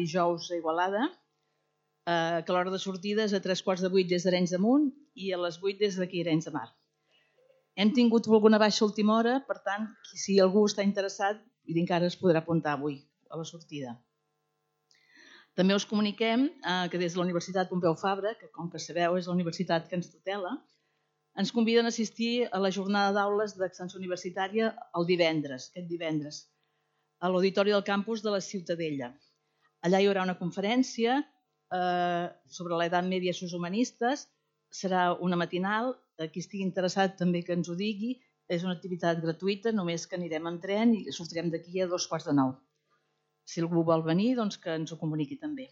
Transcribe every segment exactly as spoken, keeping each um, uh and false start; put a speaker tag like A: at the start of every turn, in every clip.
A: dijous a Igualada, eh, que l'hora de sortida és a tres quarts de vuit des d'Arenys de Munt i a les vuit des d'aquí Arenys de Mar. Hem tingut alguna baixa a última hora, per tant, si algú està interessat, encara es podrà apuntar avui a la sortida. També us comuniquem eh, que des de la Universitat Pompeu Fabra, que com que sabeu és la universitat que ens tutela, ens conviden a assistir a la jornada d'aules d'extensió universitària el divendres, aquest divendres, a l'Auditori del Campus de la Ciutadella. Allà hi haurà una conferència eh, sobre l'edat mèdia i els humanistes. Serà una matinal, qui estigui interessat també que ens ho digui. És una activitat gratuïta, només que anirem en tren i sortirem d'aquí a dos quarts de nou. Si algú vol venir, doncs que ens ho comuniqui també.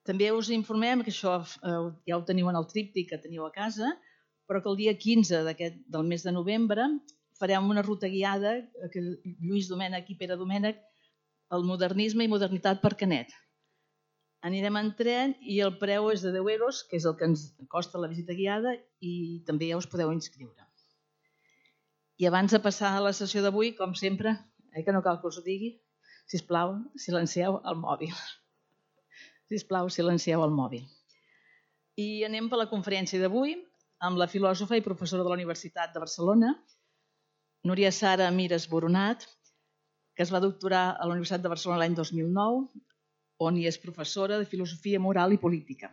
A: També us informem que això eh, ja ho teniu en el tríptic que teniu a casa, però que el dia quinze del mes de novembre farem una ruta guiada que Lluís Domènech i Pere Domènech, el modernisme i modernitat per Canet. Anirem en tren i el preu és de deu euros, que és el que ens costa la visita guiada, i també ja us podeu inscriure. I abans de passar a la sessió d'avui, com sempre, eh, que no cal que us ho digui, sisplau, silencieu el mòbil. Sisplau, silencieu el mòbil. I anem per la conferència d'avui amb la filòsofa i professora de la Universitat de Barcelona, Núria Sara Mires Boronat, que es va doctorar a la Universitat de Barcelona l'any dos mil nou, on hi és professora de filosofia moral i política.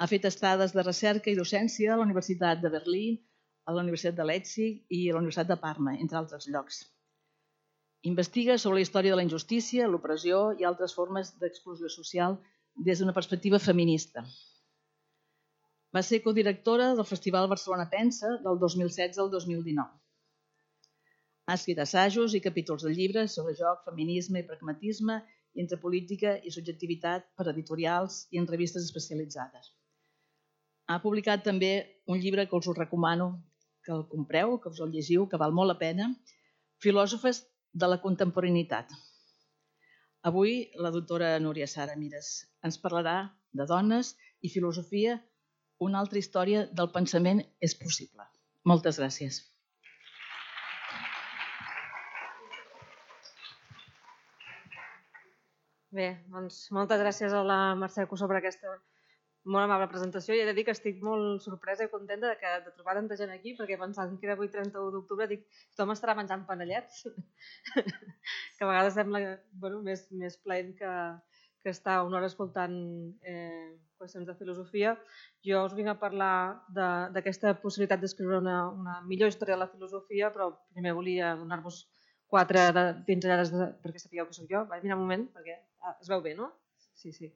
A: Ha fet estades de recerca i docència a la Universitat de Berlín, a la Universitat de Leipzig i a la Universitat de Parma, entre altres llocs. Investiga sobre la història de la injustícia, l'opressió i altres formes d'exclusió social des d'una perspectiva feminista. Va ser codirectora del Festival Barcelona Pensa del dos mil setze al dos mil dinou. Ha escrit assajos i capítols de llibres sobre joc, feminisme i pragmatisme i entre política i subjectivitat per editorials i en revistes especialitzades. Ha publicat també un llibre que us recomano que el compreu, que us el llegiu, que val molt la pena, Filòsofes de la contemporaneïtat. Avui la doctora Núria Sara Mires ens parlarà de dones i filosofia, una altra història del pensament és possible. Moltes gràcies.
B: Bé, doncs moltes gràcies a la Mercè Cusó per aquesta molt amable presentació. I he de dir que estic molt sorpresa i contenta de, que, de trobar tanta gent aquí, perquè pensant que era avui trenta-u d'octubre, dic, tothom estarà menjant panellets, que a vegades sembla bueno, més, més plaent que, que estar una hora escoltant eh, qüestions de filosofia. Jo us vinc a parlar d'aquesta possibilitat d'escriure una, una millor història de la filosofia, però primer volia donar-vos quatre de, pinzellades de, perquè sapigueu que soc jo. Vaig mirar un moment, perquè ah, es veu bé, no? Sí, sí.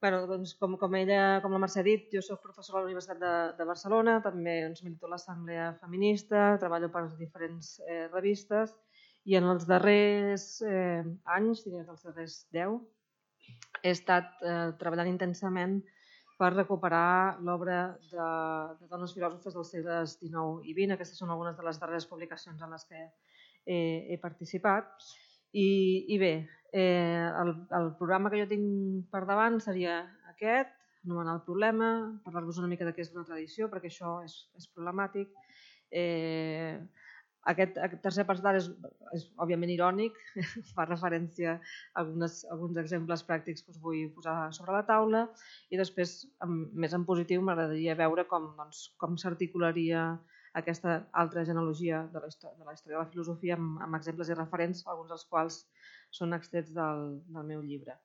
B: Bueno, doncs, com, com, ella, com la Mercè ha dit, jo soc professora a la Universitat de, de Barcelona, també doncs, milito a l'Assemblea Feminista, treballo per diferents eh, revistes i en els darrers eh, anys, diria que els darrers deu, he estat eh, treballant intensament per recuperar l'obra de, de dones filòsofes dels segles dinou i vint. Aquestes són algunes de les darreres publicacions en les que he, he participat. I, i bé, eh, el, el programa que jo tinc per davant seria aquest, anomenar el problema, parlar-vos una mica de què és una tradició, perquè això és, és problemàtic. Eh, aquest, aquest tercer apartat és, és òbviament irònic, fa referència a algunes, alguns exemples pràctics que us vull posar sobre la taula i després, amb, més en positiu, m'agradaria veure com, doncs, com s'articularia aquesta altra genealogia de la, història, de la història de la filosofia amb, amb exemples i referents, alguns dels quals són extrets del, del meu llibre.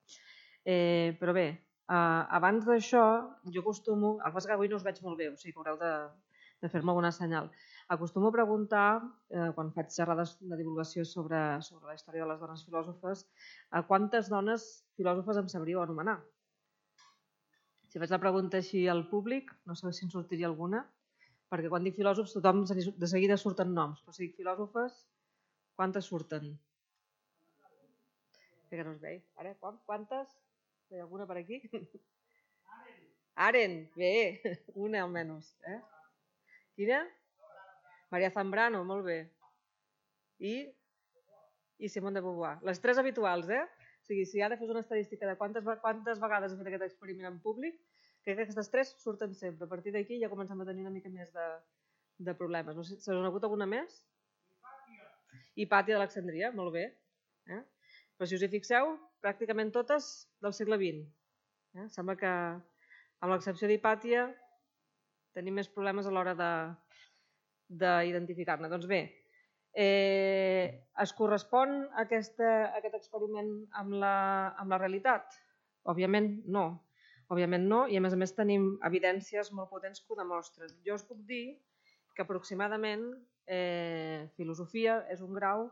B: Eh, però bé, eh, abans d'això, jo acostumo, el que passa que avui no us veig molt bé, o sigui que haureu de, de fer-me alguna senyal. Acostumo a preguntar, eh, quan faig xerrades de divulgació sobre, sobre la història de les dones filòsofes, a quantes dones filòsofes em sabríeu anomenar? Si faig la pregunta així al públic, no sé si en sortiria alguna, perquè quan dic filòsofs tothom de seguida surten noms, però si dic filòsofes, quantes surten? Que no es vegi. Ara, quantes? Hi ha alguna per aquí? Aren, bé, una almenys. Eh? Quina? Maria Zambrano, molt bé. I? I Simone de Beauvoir. Les tres habituals, eh? O sigui, si ara fes una estadística de quantes, quantes vegades he fet aquest experiment en públic, crec que aquestes tres surten sempre. A partir d'aquí ja comencem a tenir una mica més de, de problemes. No sé, se us ha hagut alguna més? I Pàtia. I Pàtia d'Alexandria, molt bé. Eh? Però si us hi fixeu, pràcticament totes del segle vint. Eh? Sembla que, amb l'excepció d'Hipàtia, tenim més problemes a l'hora d'identificar-ne. Doncs bé, eh, es correspon aquesta, aquest experiment amb la, amb la realitat? Òbviament no. Òbviament no, i a més a més tenim evidències molt potents que ho demostren. Jo us puc dir que aproximadament eh, filosofia és un grau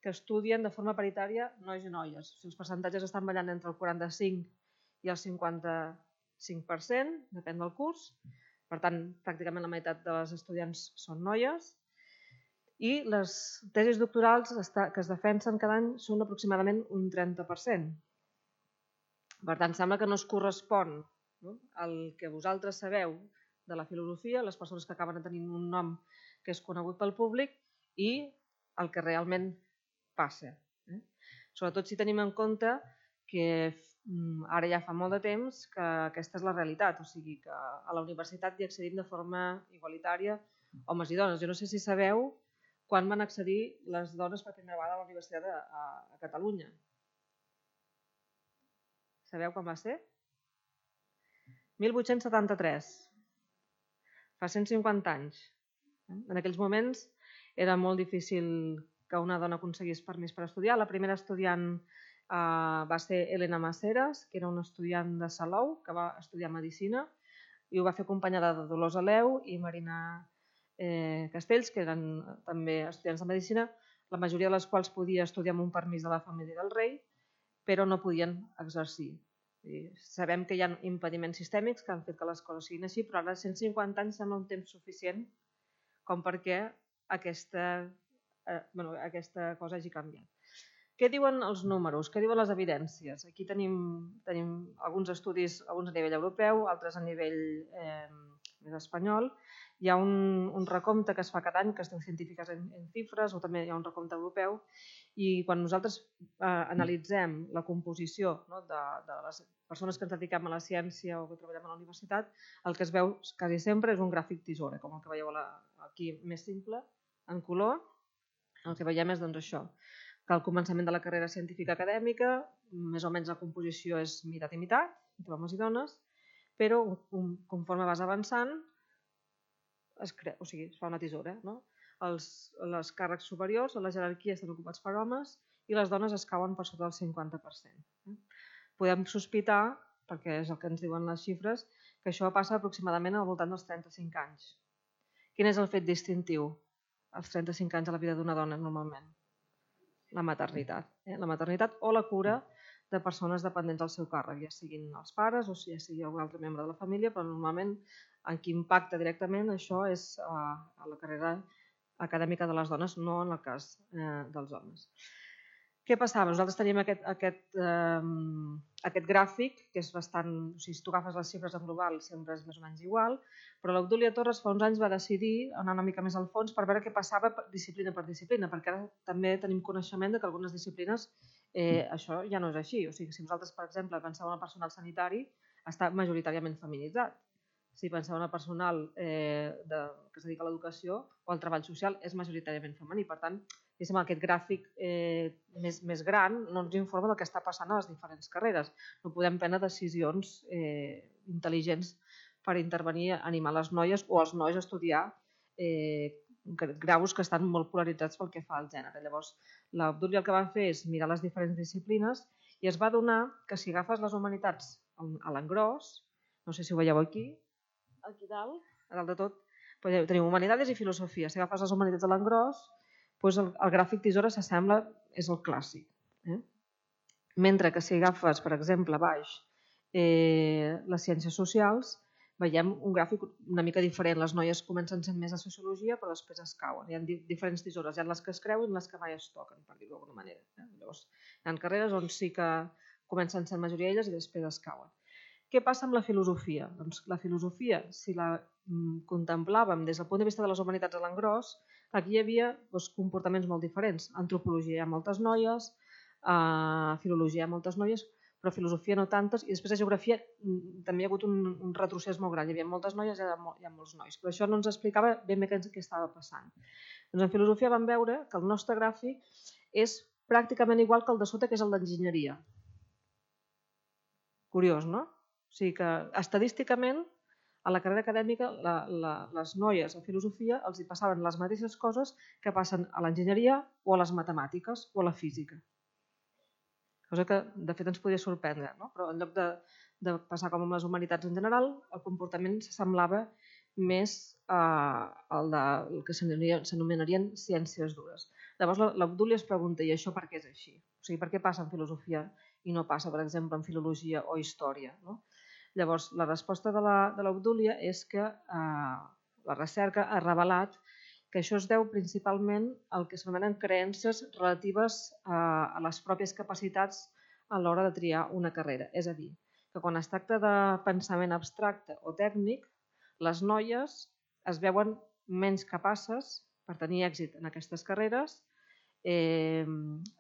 B: que estudien de forma paritària nois i noies. Si els percentatges estan ballant entre el quaranta-cinc i el cinquanta-cinc per cent, depèn del curs. Per tant, pràcticament la meitat dels estudiants són noies. I les tesis doctorals que es defensen cada any són aproximadament un trenta per cent. Per tant, sembla que no es correspon al que vosaltres sabeu de la filosofia, les persones que acaben tenint un nom que és conegut pel públic, i el que realment passa. Sobretot si tenim en compte que ara ja fa molt de temps que aquesta és la realitat, o sigui que a la universitat hi accedim de forma igualitària homes i dones. Jo no sé si sabeu quan van accedir les dones per primera vegada a la universitat a Catalunya. Sabeu quan va ser? mil vuit-cents setanta-tres, fa cent cinquanta anys. En aquells moments era molt difícil que una dona aconseguís permís per estudiar. La primera estudiant va ser Elena Maseras, que era una estudiant de Salou, que va estudiar Medicina, i ho va fer acompanyada de Dolors Aleu i Marina Castells, que eren també estudiants de Medicina, la majoria de les quals podia estudiar amb un permís de la família del rei, però no podien exercir. Sabem que hi ha impediments sistèmics que han fet que les coses siguin així, però ara cent cinquanta anys sembla un temps suficient com perquè aquesta cosa hagi canviat. Què diuen els números? Què diuen les evidències? Aquí tenim alguns estudis, alguns a nivell europeu, altres a nivell més espanyol. Hi ha un recompte que es fa cada any que es diu Científiques en Xifres, o també hi ha un recompte europeu, i quan nosaltres analitzem la composició de les persones que ens dediquem a la ciència o que treballem a la universitat, el que es veu quasi sempre és un gràfic tisora, com el que veieu aquí més simple, en color. El que veiem és això, que al començament de la carrera científica acadèmica més o menys la composició és meitat i meitat, entre homes i dones, però conforme vas avançant es fa una tisora. Els càrrecs superiors, la jerarquia, estan ocupats per homes i les dones es cauen per sota del cinquanta per cent. Podem sospitar, perquè és el que ens diuen les xifres, que això passa aproximadament al voltant dels trenta-cinc anys. Quin és el fet distintiu als trenta-cinc anys a la vida d'una dona normalment? La maternitat. La maternitat o la cura de persones dependents del seu càrrec, ja siguin els pares o ja sigui algun altre membre de la família, però normalment en qui impacta directament això és a la carrera acadèmica de les dones, no en el cas dels homes. Què passava? Nosaltres teníem aquest gràfic, que és bastant... O sigui, si tu agafes les xifres en global sempre és més o menys igual, però l'Obdúlia Torres fa uns anys va decidir anar una mica més al fons per veure què passava disciplina per disciplina, perquè ara també tenim coneixement que algunes disciplines això ja no és així. O sigui, si vosaltres, per exemple, penseu en el personal sanitari, està majoritàriament feminitzat. Si penseu en el personal que es dedica a l'educació o al treball social, és majoritàriament femení. Per tant, aquest gràfic més gran no ens informa del que està passant a les diferents carreres. No podem prendre decisions intel·ligents per intervenir, animar les noies o els nois a estudiar graus que estan molt polaritzats pel que fa al gènere. Llavors, l'Obdúlia el que va fer és mirar les diferents disciplines i es va adonar que si agafes les humanitats a l'engròs, no sé si ho veieu aquí, aquí dalt, a dalt de tot, tenim humanitats i filosofia. Si agafes les humanitats a l'engròs, el gràfic tisora s'assembla, és el clàssic. Mentre que si agafes, per exemple, a baix, les ciències socials, veiem un gràfic una mica diferent. Les noies comencen sent més a sociologia, però després es cauen. Hi ha diferents tisores. Hi ha les que es creuen i les que mai es toquen, per dir-ho d'alguna manera. Llavors, hi ha carreres on sí que comencen sent majoria elles i després es cauen. Què passa amb la filosofia? Doncs la filosofia, si la contemplàvem des del punt de vista de les humanitats a l'engròs, aquí hi havia comportaments molt diferents. Antropologia hi ha moltes noies, filologia hi ha moltes noies, però filosofia no tantes, i després a geografia també hi ha hagut un retrocés molt gran. Hi havia moltes noies i hi ha molts nois, però això no ens explicava ben bé què estava passant. En filosofia vam veure que el nostre gràfic és pràcticament igual que el de sota, que és el d'enginyeria. Curiós, no? O sigui que estadísticament a la carrera acadèmica la, la, les noies a filosofia els hi passaven les mateixes coses que passen a l'enginyeria o a les matemàtiques o a la física. Cosa que de fet ens podia sorprendre, no? Però en lloc de, de passar com amb les humanitats en general, el comportament s'assemblava més eh, al de, el que s'anomenarien ciències dures. Llavors l'Obdúlia es pregunta, i això per què és així? O sigui, per què passa en filosofia i no passa, per exemple, en filologia o història? No? Llavors, la resposta de l'Obdúlia és que eh, la recerca ha revelat que això es deu principalment al que s'anomenen creences relatives a les pròpies capacitats a l'hora de triar una carrera. És a dir, que quan es tracta de pensament abstracte o tècnic, les noies es veuen menys capaces per tenir èxit en aquestes carreres. Eh,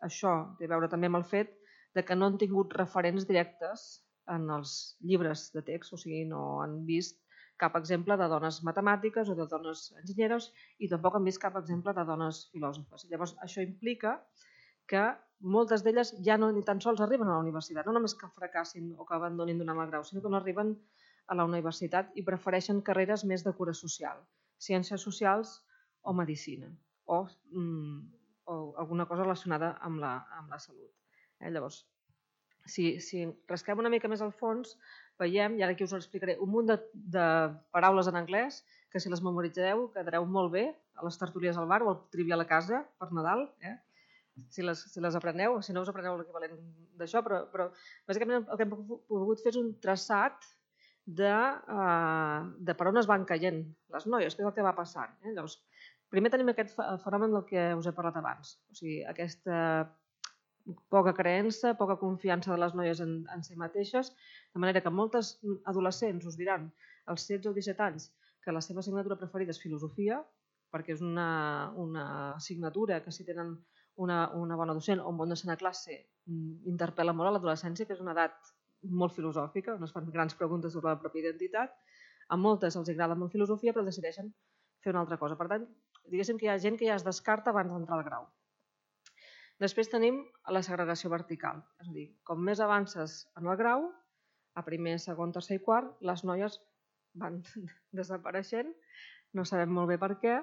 B: això té a veure també amb el fet de que no han tingut referents directes en els llibres de text, o sigui, no han vist cap exemple de dones matemàtiques o de dones enginyeres i tampoc han vist cap exemple de dones filòsofes. Llavors, això implica que moltes d'elles ja no ni tan sols arriben a la universitat, no només que fracassin o que abandonin d'una mal grau, sinó que no arriben a la universitat i prefereixen carreres més de cura social, ciències socials o medicina, o, mm, o alguna cosa relacionada amb la, amb la salut. Eh? Llavors, si, si rasquem una mica més al fons, veiem, i ara aquí us ho explicaré, un munt de, de paraules en anglès que si les memoritzeu quedareu molt bé a les tertúlies al bar o al trivial a casa per Nadal, eh? si, les, si les apreneu, si no us apreneu l'equivalent d'això, però, però bàsicament el que hem pogut fer és un traçat de, uh, de per on es van caient les noies, que és el que va passant. Eh? Llavors, primer tenim aquest fenomen del que us he parlat abans, o sigui, aquesta poca creença, poca confiança de les noies en, en si mateixes, de manera que moltes adolescents us diran als setze o disset anys que la seva assignatura preferida és filosofia, perquè és una, una assignatura que si tenen una, una bona docent o un bon docent a classe interpel·la molt a l'adolescència, que és una edat molt filosòfica, on es fan grans preguntes sobre la pròpia identitat. A moltes els agrada molt filosofia, però decideixen fer una altra cosa. Per tant, diguéssim que hi ha gent que ja es descarta abans d'entrar al grau. Després tenim la segregació vertical, és a dir, com més avances en el grau, a primer, segon, tercer i quart, les noies van desapareixent, no sabem molt bé per què,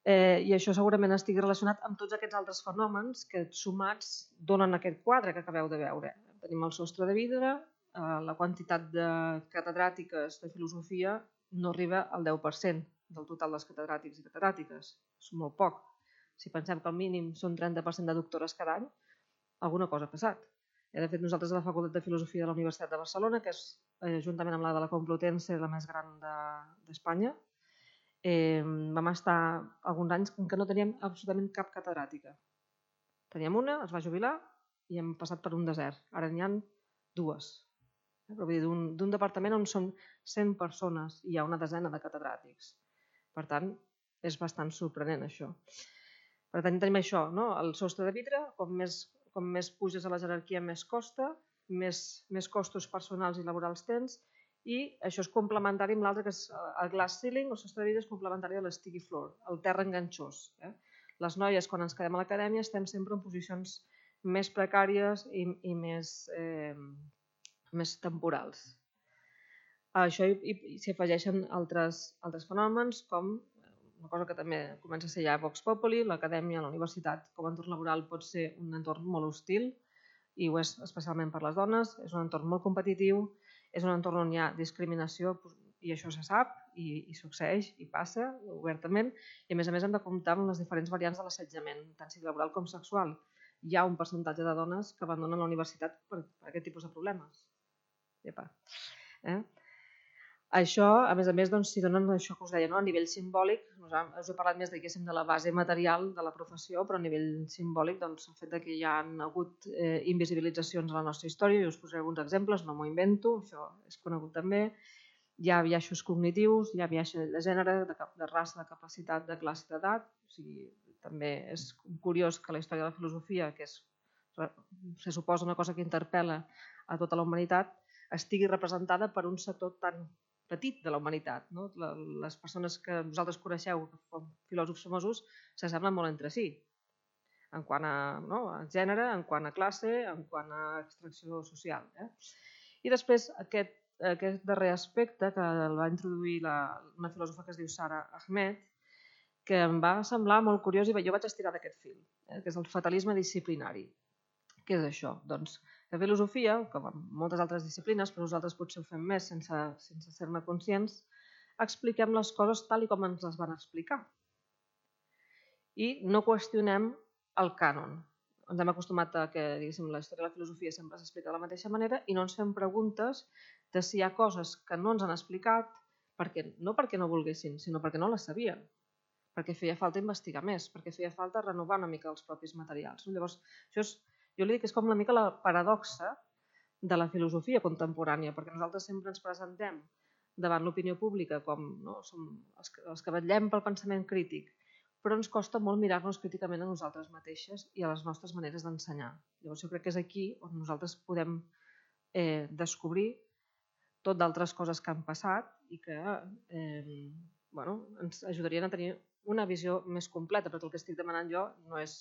B: eh, i això segurament estigui relacionat amb tots aquests altres fenòmens que sumats donen aquest quadre que acabeu de veure. Tenim el sostre de vidre, eh, la quantitat de catedràtiques de filosofia no arriba al deu per cent del total dels catedràtics i catedràtiques, és molt poc. Si pensem que el mínim són trenta per cent de doctores cada any, alguna cosa ha passat. De fet, nosaltres a la Facultat de Filosofia de la Universitat de Barcelona, que és juntament amb la de la Complutense la més gran d'Espanya, eh, vam estar alguns anys en què no teníem absolutament cap catedràtica. Teníem una, es va jubilar i hem passat per un desert. Ara n'hi ha dues. D'un departament on són cent persones i hi ha una desena de catedràtics. Per tant, és bastant sorprenent això. Per tant, tenim això, no? El sostre de vidre, com més, com més puges a la jerarquia més costa, més, més costos personals i laborals tens, i això és complementari amb l'altre, que és el glass ceiling, el sostre de vidre és complementari a l'sticky floor, el terra enganxós. Eh? Les noies, quan ens quedem a l'acadèmia, estem sempre en posicions més precàries i, i més, eh, més temporals. A això s'hi afegeixen altres, altres fenòmens, com una cosa que també comença a ser ja a Vox Populi, l'acadèmia, la universitat com a entorn laboral pot ser un entorn molt hostil i ho és especialment per les dones, és un entorn molt competitiu, és un entorn on hi ha discriminació i això se sap i, i succeeix i passa obertament i a més a més hem de comptar amb les diferents variants de l'assetjament, tant sigui laboral com sexual. Hi ha un percentatge de dones que abandonen la universitat per, per aquest tipus de problemes. Epa. Eh? Això, a més a més, doncs, si donen això que us deia, no? A nivell simbòlic, us he parlat més de la base material de la professió, però a nivell simbòlic, doncs, el fet que hi ha hagut eh, invisibilitzacions a la nostra història, i us posaré alguns exemples, no m'ho invento, això és conegut també, hi ha biaixos cognitius, hi ha biaix de gènere, de, de raça, de capacitat, de classe d'edat, o sigui, també és curiós que la història de la filosofia, que és, se suposa una cosa que interpel·la a tota la humanitat, estigui representada per un sector tan petit de la humanitat. No? Les persones que vosaltres coneixeu com filòsofs famosos s'assemblen molt entre si. en quant a, no, a gènere, en quant a classe, en quant a extracció social. Eh? I després aquest, aquest darrer aspecte que el va introduir la, una filòsofa que es diu Sara Ahmed, que em va semblar molt curiós i jo vaig estirar d'aquest fil, eh? que és el fatalisme disciplinari. Què és això? Doncs la filosofia, com en moltes altres disciplines, però nosaltres potser ho fem més sense, sense ser-ne conscients, expliquem les coses tal i com ens les van explicar. I no qüestionem el cànon. Ens hem acostumat a que diguéssim, la història de la filosofia sempre s'explica de la mateixa manera i no ens fem preguntes de si hi ha coses que no ens han explicat, perquè, no perquè no volguessin, sinó perquè no les sabien, perquè feia falta investigar més, perquè feia falta renovar una mica els propis materials. Llavors, això és, jo li dic que és com una mica la paradoxa de la filosofia contemporània, perquè nosaltres sempre ens presentem davant l'opinió pública com no, som els que, els que vetllem pel pensament crític, però ens costa molt mirar-nos críticament a nosaltres mateixes i a les nostres maneres d'ensenyar. Llavors jo crec que és aquí on nosaltres podem eh, descobrir tot d'altres coses que han passat i que eh, bueno, ens ajudarien a tenir una visió més completa, perquè el que estic demanant jo no és,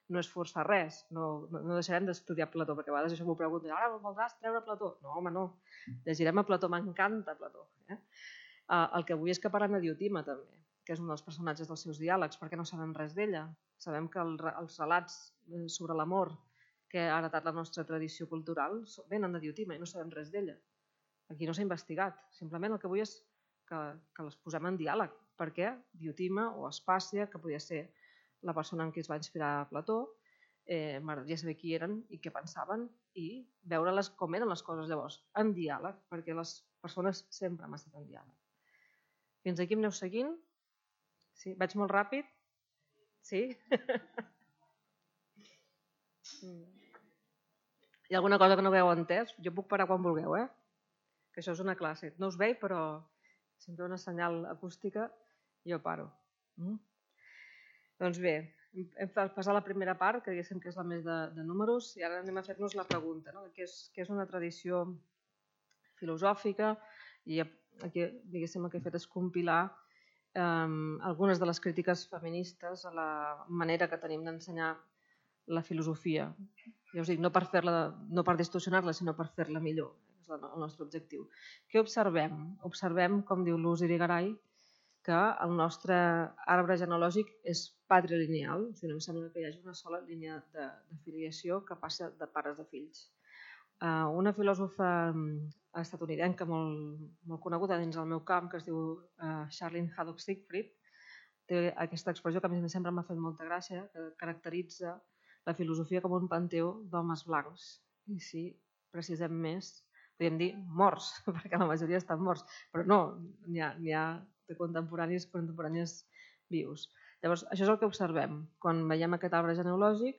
B: no és forçar res, no, no deixarem d'estudiar Plató, perquè a vegades això m'ho pregunten, ara voldràs treure Plató? No, home, no, llegirem a Plató, m'encanta Plató. Eh? El que vull és que parlem de Diotima també, que és un dels personatges dels seus diàlegs, perquè no sabem res d'ella. Sabem que el, els relats sobre l'amor que ha heretat la nostra tradició cultural venen de Diotima i no sabem res d'ella. Aquí no s'ha investigat, simplement el que vull és que, que les posem en diàleg, perquè Diotima o Aspàsia, que podia ser la persona en qui es va inspirar Plató, eh, m'agradaria saber qui eren i què pensaven i veure-les com eren les coses llavors, en diàleg, perquè les persones sempre han estat en diàleg. Fins aquí em aneu seguint? Sí? Vaig molt ràpid? Sí? Hi ha alguna cosa que no hagueu entès? Jo puc parar quan vulgueu, eh? Que això és una classe. No us veig, però si em ve una senyal acústica, jo paro. Mm? Doncs bé, hem passat la primera part, que diguéssim que és la més de, de números, i ara anem a fer-nos la pregunta, no? Què és, què és una tradició filosòfica, i aquí diguéssim el que he fet és compilar eh, algunes de les crítiques feministes a la manera que tenim d'ensenyar la filosofia. Ja us dic, no per fer-la, no per distorsionar-la, sinó per fer-la millor. És el nostre objectiu. Què observem? Observem, com diu Luz Irigaray, que el nostre arbre genealògic és patrilineal, o sigui, no em sembla que hi hagi una sola línia de, de filiació que passa de pares a fills. Uh, una filòsofa estatunidenca molt, molt coneguda dins el meu camp, que es diu uh, Charlene Haddock Siegfried, té aquesta expressió que a mi sempre m'ha fet molta gràcia, que caracteritza la filosofia com un panteó d'homes blancs. I si precisem més, podríem dir morts, perquè la majoria estan morts, però no, n'hi ha, n'hi ha de contemporanis contemporanis vius. Llavors, això és el que observem. Quan veiem aquest arbre genealògic,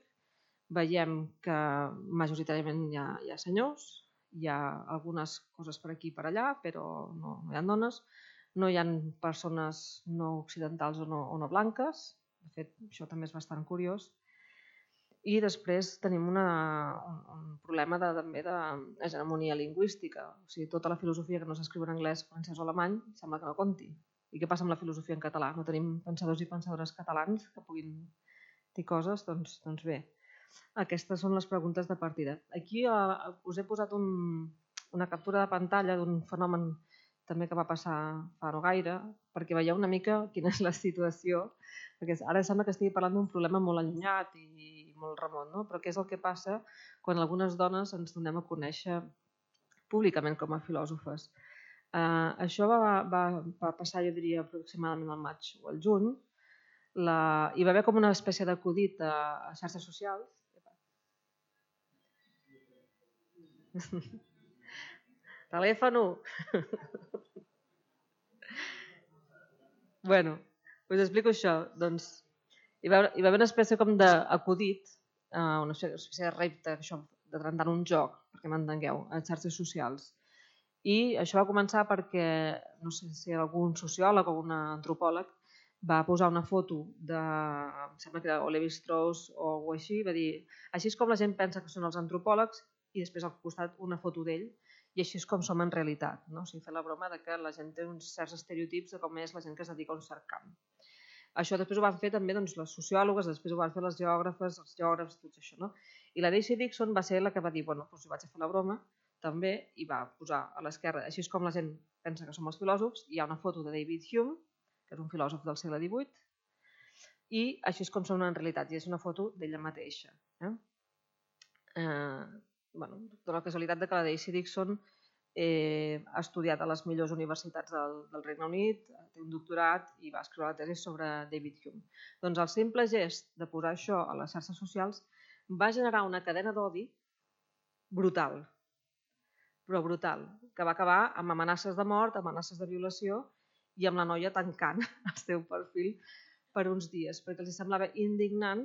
B: veiem que majoritàriament hi ha, hi ha senyors, hi ha algunes coses per aquí i per allà, però no, no hi ha dones, no hi ha persones no occidentals o no, o no blanques, de fet, això també és bastant curiós. I després tenim una, un, un problema de, també d'hegemonia lingüística. O sigui, tota la filosofia que no s'escriu en anglès, francès o alemany sembla que no compti. I què passa amb la filosofia en català? No tenim pensadors i pensadores catalans que puguin dir coses? Doncs, doncs bé, aquestes són les preguntes de partida. Aquí eh, us he posat un, una captura de pantalla d'un fenomen també que va passar fa no gaire, perquè veieu una mica quina és la situació, perquè ara sembla que estigui parlant d'un problema molt allunyat i molt remot, no? Però què és el que passa quan algunes dones ens donem a conèixer públicament com a filòsofes. Uh, això va, va, va passar, jo diria, aproximadament al maig o al juny. La... Hi va haver com una espècie d'acudit a, a xarxes socials. Telèfon u. Bueno, us explico això. Doncs, hi va, hi va haver una espècie com d'acudit, uh, una espècie de repte, això, de tractar un joc, perquè m'entengueu, a xarxes socials. I això va començar perquè, no sé si algun sociòleg o un antropòleg va posar una foto de, em sembla que era Lévi-Strauss o alguna cosa així, va dir, així és com la gent pensa que són els antropòlegs, i després al costat una foto d'ell, i així és com som en realitat. No? O sigui, fer la broma de que la gent té uns certs estereotips de com és la gent que es dedica a un cert camp. Això després ho van fer també les sociòlogues, després ho van fer les geògrafes, els geògrafs, tot això. I la Daisy Dixon va ser la que va dir, bueno, doncs jo vaig a fer la broma també, i va posar a l'esquerra, així és com la gent pensa que som els filòsofs, hi ha una foto de David Hume, que és un filòsof del segle divuit, i així és com són en realitat, i és una foto d'ella mateixa. Eh? Eh, bueno, de la casualitat de que la Daisy Dixon eh, ha estudiat a les millors universitats del, del Regne Unit, té un doctorat i va escriure la tesi sobre David Hume. Doncs el simple gest de posar això a les xarxes socials va generar una cadena d'odi brutal, però brutal, que va acabar amb amenaces de mort, amenaces de violació i amb la noia tancant el seu perfil per uns dies, perquè els semblava indignant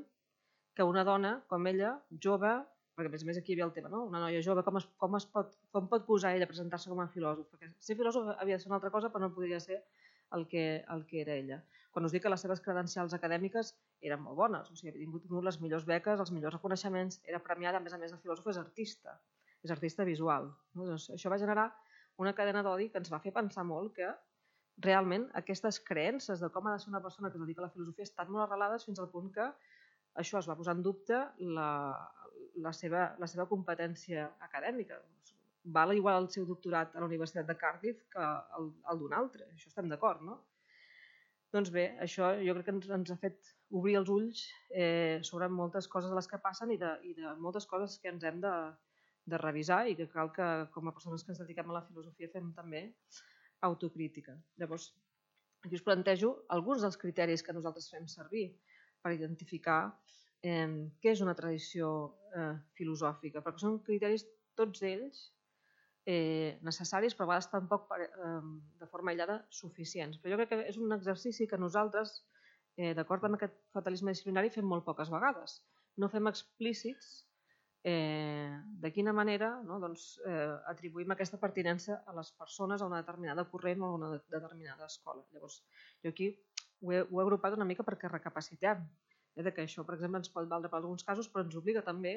B: que una dona com ella, jove, perquè a més a més aquí hi havia el tema, no? Una noia jove, com, es, com, es pot, com pot posar ella a presentar-se com a filòsof? Perquè ser filòsof havia de ser una altra cosa, però no podria ser el que, el que era ella. Quan us dic que les seves credencials acadèmiques eren molt bones, o sigui, havia tingut, tingut les millors beques, els millors reconeixements, era premiada, a més a més de filòsof, és artista, és artista visual. No? Doncs això va generar una cadena d'odi que ens va fer pensar molt que realment aquestes creences de com ha de ser una persona que es dedica a la filosofia estan molt arrelades fins al punt que això es va posar en dubte la, la, seva, la seva competència acadèmica. Val igual el seu doctorat a la Universitat de Cardiff que el, el d'un altre, això estem d'acord, no? Doncs bé, això jo crec que ens, ens ha fet obrir els ulls eh, sobre moltes coses de les que passen i de, i de moltes coses que ens hem de, de revisar i que cal que com a persones que ens dediquem a la filosofia fem també autocrítica. Llavors, aquí us plantejo alguns dels criteris que nosaltres fem servir per identificar eh, què és una tradició eh, filosòfica, perquè són criteris, tots ells, eh, necessaris, però a vegades tampoc per, eh, de forma aïllada suficients. Però jo crec que és un exercici que nosaltres, eh, d'acord amb aquest fatalisme disciplinari, fem molt poques vegades. No fem explícits eh, de quina manera no, doncs, eh, atribuïm aquesta pertinença a les persones a una determinada corrent o a una determinada escola. Llavors, jo aquí ho he, ho he agrupat una mica perquè recapacitem eh, de que això, per exemple, ens pot valdre per alguns casos, però ens obliga també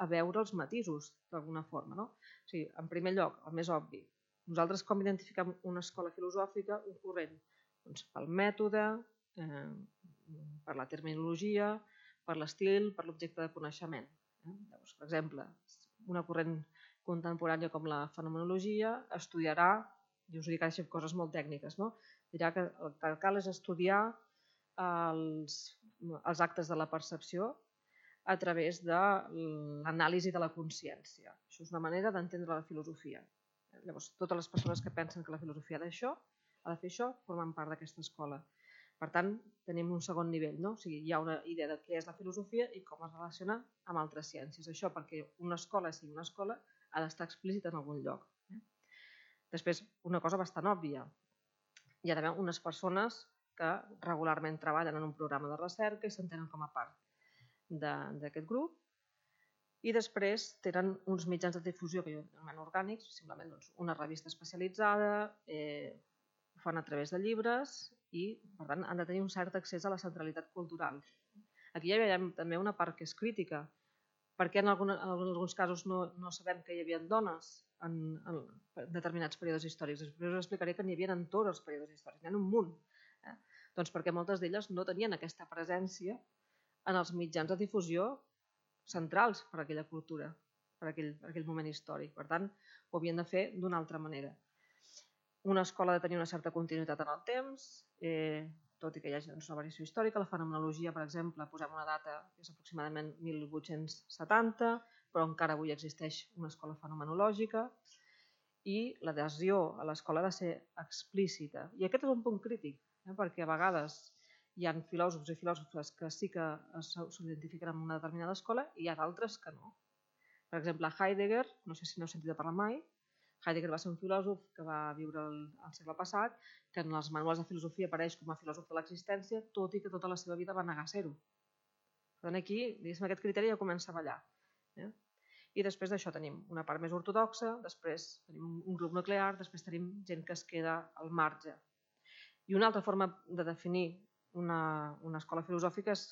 B: a veure els matisos d'alguna forma. No? O sigui, en primer lloc, el més obvi, nosaltres com identifiquem una escola filosòfica, un corrent? Doncs pel mètode, eh, per la terminologia, per l'estil, per l'objecte de coneixement. Llavors, per exemple, una corrent contemporània com la fenomenologia estudiarà, i us dic ara coses molt tècniques, no? Dirà que el que cal és estudiar els, els actes de la percepció a través de l'anàlisi de la consciència. Això és una manera d'entendre la filosofia. Llavors, totes les persones que pensen que la filosofia ha d'això, ha de fer això, formen part d'aquesta escola. Per tant, tenim un segon nivell, no? O sigui, hi ha una idea de què és la filosofia i com es relaciona amb altres ciències. Això perquè una escola sigui una escola ha d'estar explícita en algun lloc. Després, una cosa bastant òbvia. Hi ha d'haver unes persones que regularment treballen en un programa de recerca i s'entenen com a part d'aquest grup i després tenen uns mitjans de difusió que jo anomeno orgànics, simplement doncs, una revista especialitzada, eh, ho fan a través de llibres i, per tant, han de tenir un cert accés a la centralitat cultural. Aquí hi ha també una part que és crítica. Per què en, alguna, en alguns casos no, no sabem que hi havia dones en, en determinats períodes històrics? Després us explicaré que n'hi havia en tots els períodes històrics, n'hi ha un munt. Eh? Doncs perquè moltes d'elles no tenien aquesta presència en els mitjans de difusió centrals per a aquella cultura, per a aquell, per a aquell moment històric. Per tant, ho havien de fer d'una altra manera. Una escola ha de tenir una certa continuïtat en el temps, eh, tot i que hi hagi una variació històrica. La fenomenologia, per exemple, posem una data que és aproximadament mil vuit-cents setanta, però encara avui existeix una escola fenomenològica i l'adhesió a l'escola ha de ser explícita. I aquest és un punt crític, eh, perquè a vegades hi ha filòsofs i filòsofes que sí que s'identifiquen amb una determinada escola i hi ha d'altres que no. Per exemple, Heidegger, no sé si n'heu sentit a parlar mai, Heidegger va ser un filòsof que va viure al, al segle passat, que en els manuals de filosofia apareix com a filòsof de l'existència, tot i que tota la seva vida va negar ser-ho. Per tant, aquí, diguéssim, aquest criteri ja comença a ballar. Eh? I després d'això tenim una part més ortodoxa, després tenim un grup nuclear, després tenim gent que es queda al marge. I una altra forma de definir una, una escola filosòfica és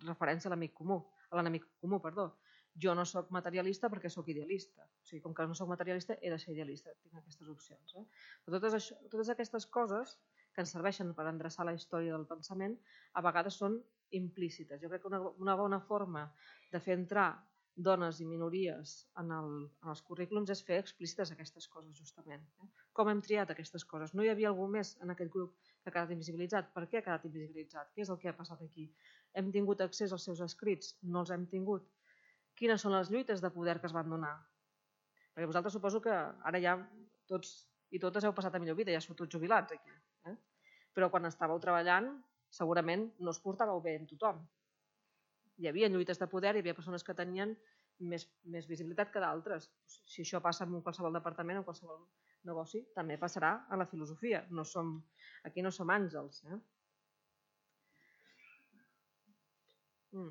B: referència a l'amic comú, a l'enemic comú, perdó. Jo no soc materialista perquè soc idealista. O sigui, com que no soc materialista, he de ser idealista. Tinc aquestes opcions. Eh? Però totes, això, totes aquestes coses que ens serveixen per endreçar la història del pensament, a vegades són implícites. Jo crec que una, una bona forma de fer entrar dones i minories en, el, en els currículums és fer explícites aquestes coses, justament. Eh? Com hem triat aquestes coses? No hi havia algú més en aquest grup que ha quedat invisibilitzat? Per què ha quedat invisibilitzat? Què és el que ha passat aquí? Hem tingut accés als seus escrits? No els hem tingut? Quines són les lluites de poder que es van donar? Perquè vosaltres suposo que ara ja tots i totes heu passat a millor vida, ja sou tots jubilats aquí. Eh? Però quan estàveu treballant segurament no us portàveu bé amb tothom. Hi havia lluites de poder, hi havia persones que tenien més, més visibilitat que d'altres. Si això passa en qualsevol departament o en qualsevol negoci, també passarà a la filosofia. No som, aquí no som àngels. Eh? Mm.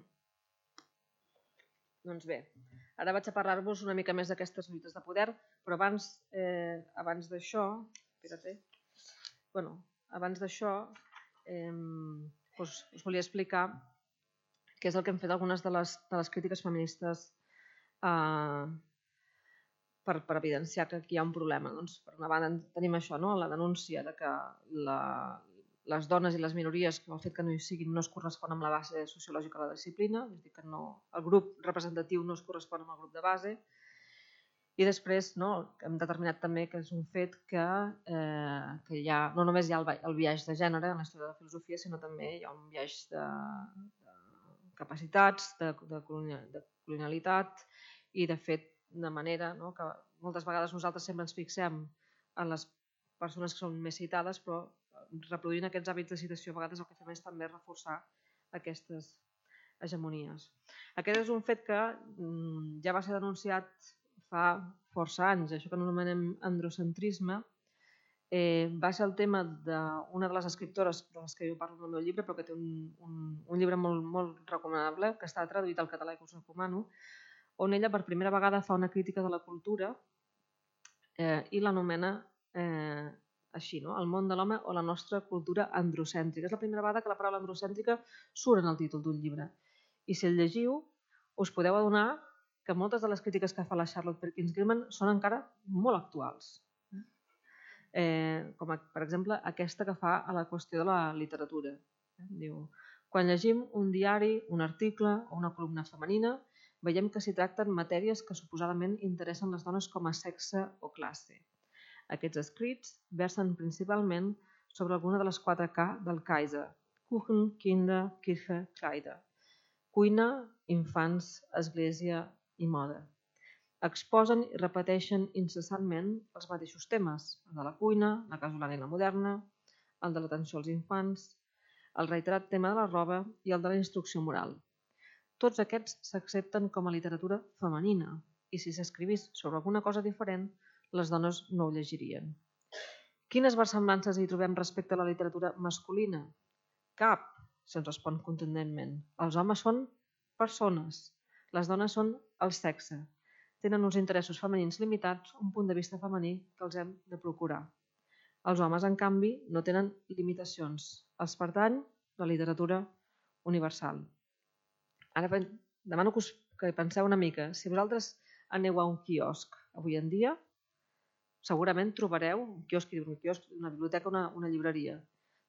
B: Doncs bé, ara vaig a parlar-vos una mica més d'aquestes lluites de poder, però abans, eh, abans d'això, espera't, bueno, abans d'això, eh, us, us volia explicar què és el que hem fet algunes de les, de les crítiques feministes eh, per, per evidenciar que aquí hi ha un problema. Doncs, per una banda tenim això, no? La denúncia de que la, les dones i les minories, el fet que no hi siguin, no es correspon amb la base sociològica de la disciplina, és a dir, que no, el grup representatiu no es correspon amb el grup de base. I després, no, hem determinat també que és un fet que, eh, que hi ha, no només hi ha el, el biaix de gènere en la història de la filosofia, sinó també hi ha un biaix de, de capacitats, de, de, de colonialitat i, de fet, de manera, no, que moltes vegades nosaltres sempre ens fixem en les persones que són més citades, però reproduint aquests hàbits de citació a vegades el que fem és també reforçar aquestes hegemonies. Aquest és un fet que mm, ja va ser denunciat fa força anys, això que anomenem androcentrisme, eh, va ser el tema d'una de les escriptores de les que jo parlo en el meu llibre, però que té un, un, un llibre molt, molt recomanable, que està traduït al català i que us recomano, on ella per primera vegada fa una crítica de la cultura eh, i l'anomena eh, així, no? El món de l'home o la nostra cultura androcèntrica. És la primera vegada que la paraula androcèntrica surt en el títol d'un llibre. I si el llegiu, us podeu adonar que moltes de les crítiques que fa la Charlotte Perkins Gilman són encara molt actuals. Eh, com a, per exemple, aquesta que fa a la qüestió de la literatura. Diu, quan llegim un diari, un article o una columna femenina, veiem que s'hi tracten matèries que suposadament interessen les dones com a sexe o classe. Aquests escrits versen principalment sobre alguna de les quatre K del Kaiser: Kuchen, Kinder, Kirche, Kleider. Cuina, infants, església i moda. Exposen i repeteixen incessantment els mateixos temes, el de la cuina, la casolana i la moderna, el de l'atenció als infants, el reiterat tema de la roba i el de la instrucció moral. Tots aquests s'accepten com a literatura femenina i si s'escrivís sobre alguna cosa diferent, les dones no ho llegirien. Quines versemblances hi trobem respecte a la literatura masculina? Cap, se'ns respon contundentment. Els homes són persones, les dones són el sexe. Tenen uns interessos femenins limitats, un punt de vista femení que els hem de procurar. Els homes, en canvi, no tenen limitacions. Els pertany la literatura universal. Ara demano que, us, que penseu una mica. Si vosaltres aneu a un quiosc avui en dia, segurament trobareu, un quiosc, un quiosc una biblioteca, una, una llibreria,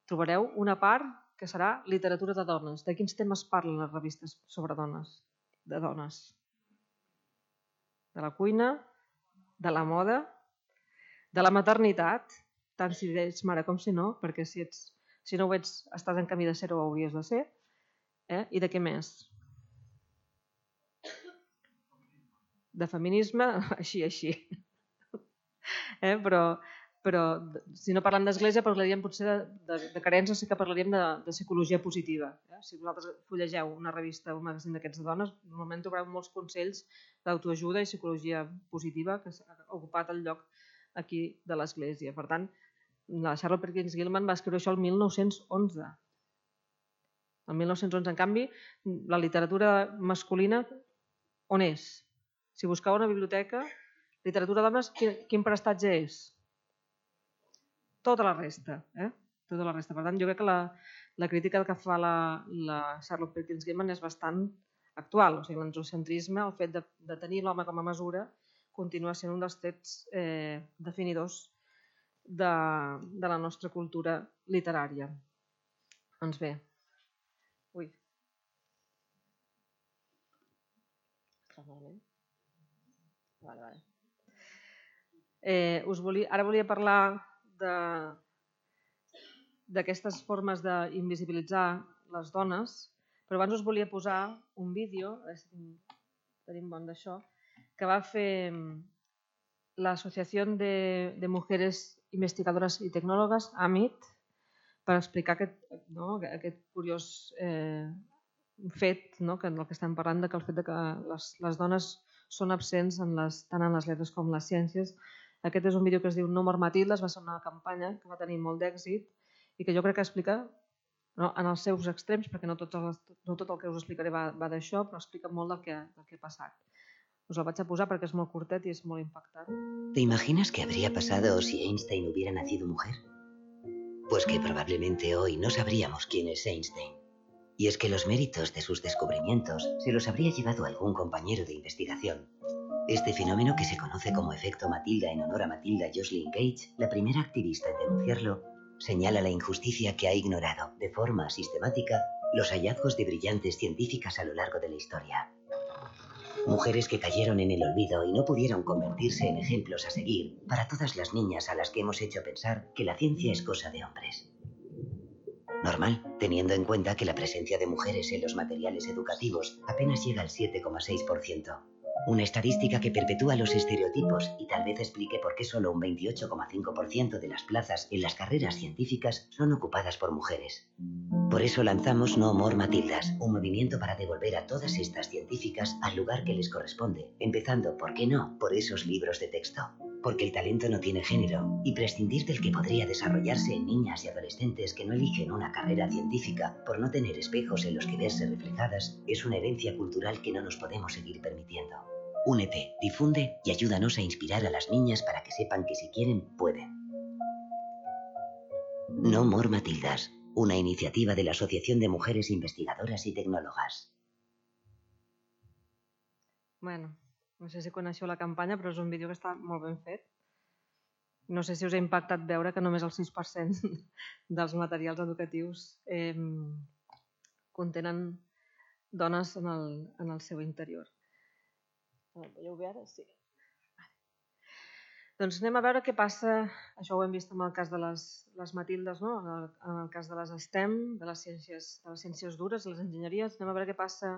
B: trobareu una part que serà literatura de dones. De quins temes parlen les revistes sobre dones? De dones. De la cuina, de la moda, de la maternitat, tant si ets mare com si no, perquè si, ets, si no ho ets, estàs en camí de ser o hauries de ser. Eh? I de què més? De feminisme, així, així. Eh? Però, però si no parlem d'església, parlaríem potser de, de, de carència, sí que parlaríem de, de psicologia positiva. Eh? Si vosaltres fullegeu una revista o un magazín d'aquests de dones, normalment trobareu molts consells d'autoajuda i psicologia positiva que s'ha ocupat el lloc aquí de l'església. Per tant, la Charlotte Perkins Gilman va escriure això el mil nou-cents onze. El mil nou-cents onze, en canvi, la literatura masculina, on és? Si buscau una biblioteca, literatura d'homes, quin, quin prestatge és? Tota la resta. Eh? Tota la resta. Per tant, jo crec que la, la crítica que fa la, la Charlotte Perkins Gilman és bastant actual. O sigui, l'androcentrisme, el fet de, de tenir l'home com a mesura, continua sent un dels trets eh, definidors de, de la nostra cultura literària. Doncs bé. Ui. Vale, vale. Eh, us volia, ara volia parlar d'aquestes formes d'invisibilitzar les dones, però abans us volia posar un vídeo, a veure si tenim bon d'això, que va fer l'Associació de, de Mujeres Investigadoras i Tecnòlogues, A M I T, per explicar aquest, no, aquest curiós eh, fet, no, que del que estem parlant, de que el fet de que les, les dones són absents en les, tant en les lletres com en les ciències. Aquest és un vídeo que es diu No mor Matildes, va ser una campanya que va tenir molt d'èxit i que jo crec que explica, no, en els seus extrems, perquè no tot, el, no tot el que us explicaré va, va d'això, però explica molt del que, del que ha passat. Us el vaig a posar perquè és molt curtet i és molt impactant.
C: ¿Te imaginas qué habría pasado si Einstein hubiera nacido mujer? Pues que probablemente hoy no sabríamos quién es Einstein. Y es que los méritos de sus descubrimientos se los habría llevado algún compañero de investigación. Este fenómeno, que se conoce como efecto Matilda en honor a Matilda Joslyn Gage, la primera activista en denunciarlo, señala la injusticia que ha ignorado de forma sistemática los hallazgos de brillantes científicas a lo largo de la historia. Mujeres que cayeron en el olvido y no pudieron convertirse en ejemplos a seguir para todas las niñas a las que hemos hecho pensar que la ciencia es cosa de hombres. Normal, teniendo en cuenta que la presencia de mujeres en los materiales educativos apenas llega al siete coma seis por ciento. Una estadística que perpetúa los estereotipos y tal vez explique por qué solo un veintiocho coma cinco por ciento de las plazas en las carreras científicas son ocupadas por mujeres. Por eso lanzamos No More Matildas, un movimiento para devolver a todas estas científicas al lugar que les corresponde, empezando, ¿por qué no?, por esos libros de texto. Porque el talento no tiene género, y prescindir del que podría desarrollarse en niñas y adolescentes que no eligen una carrera científica por no tener espejos en los que verse reflejadas es una herencia cultural que no nos podemos seguir permitiendo. Únete, difunde y ayúdanos a inspirar a las niñas para que sepan que si quieren, pueden. No More Matildas, una iniciativa de la Asociación de Mujeres Investigadoras y Tecnólogas.
B: Bueno, no sé si coneixeu la campanya, però és un vídeo que està molt ben fet. No sé si us ha impactat veure que només el sis per cent dels materials educatius eh, contenen dones en el, en el seu interior. El veieu bé ara? Sí. Doncs anem a veure què passa, això ho hem vist en el cas de les, les Matildes, no? en, el, en el cas de les STEM, de les ciències, de les ciències dures, les enginyeries, anem a veure què passa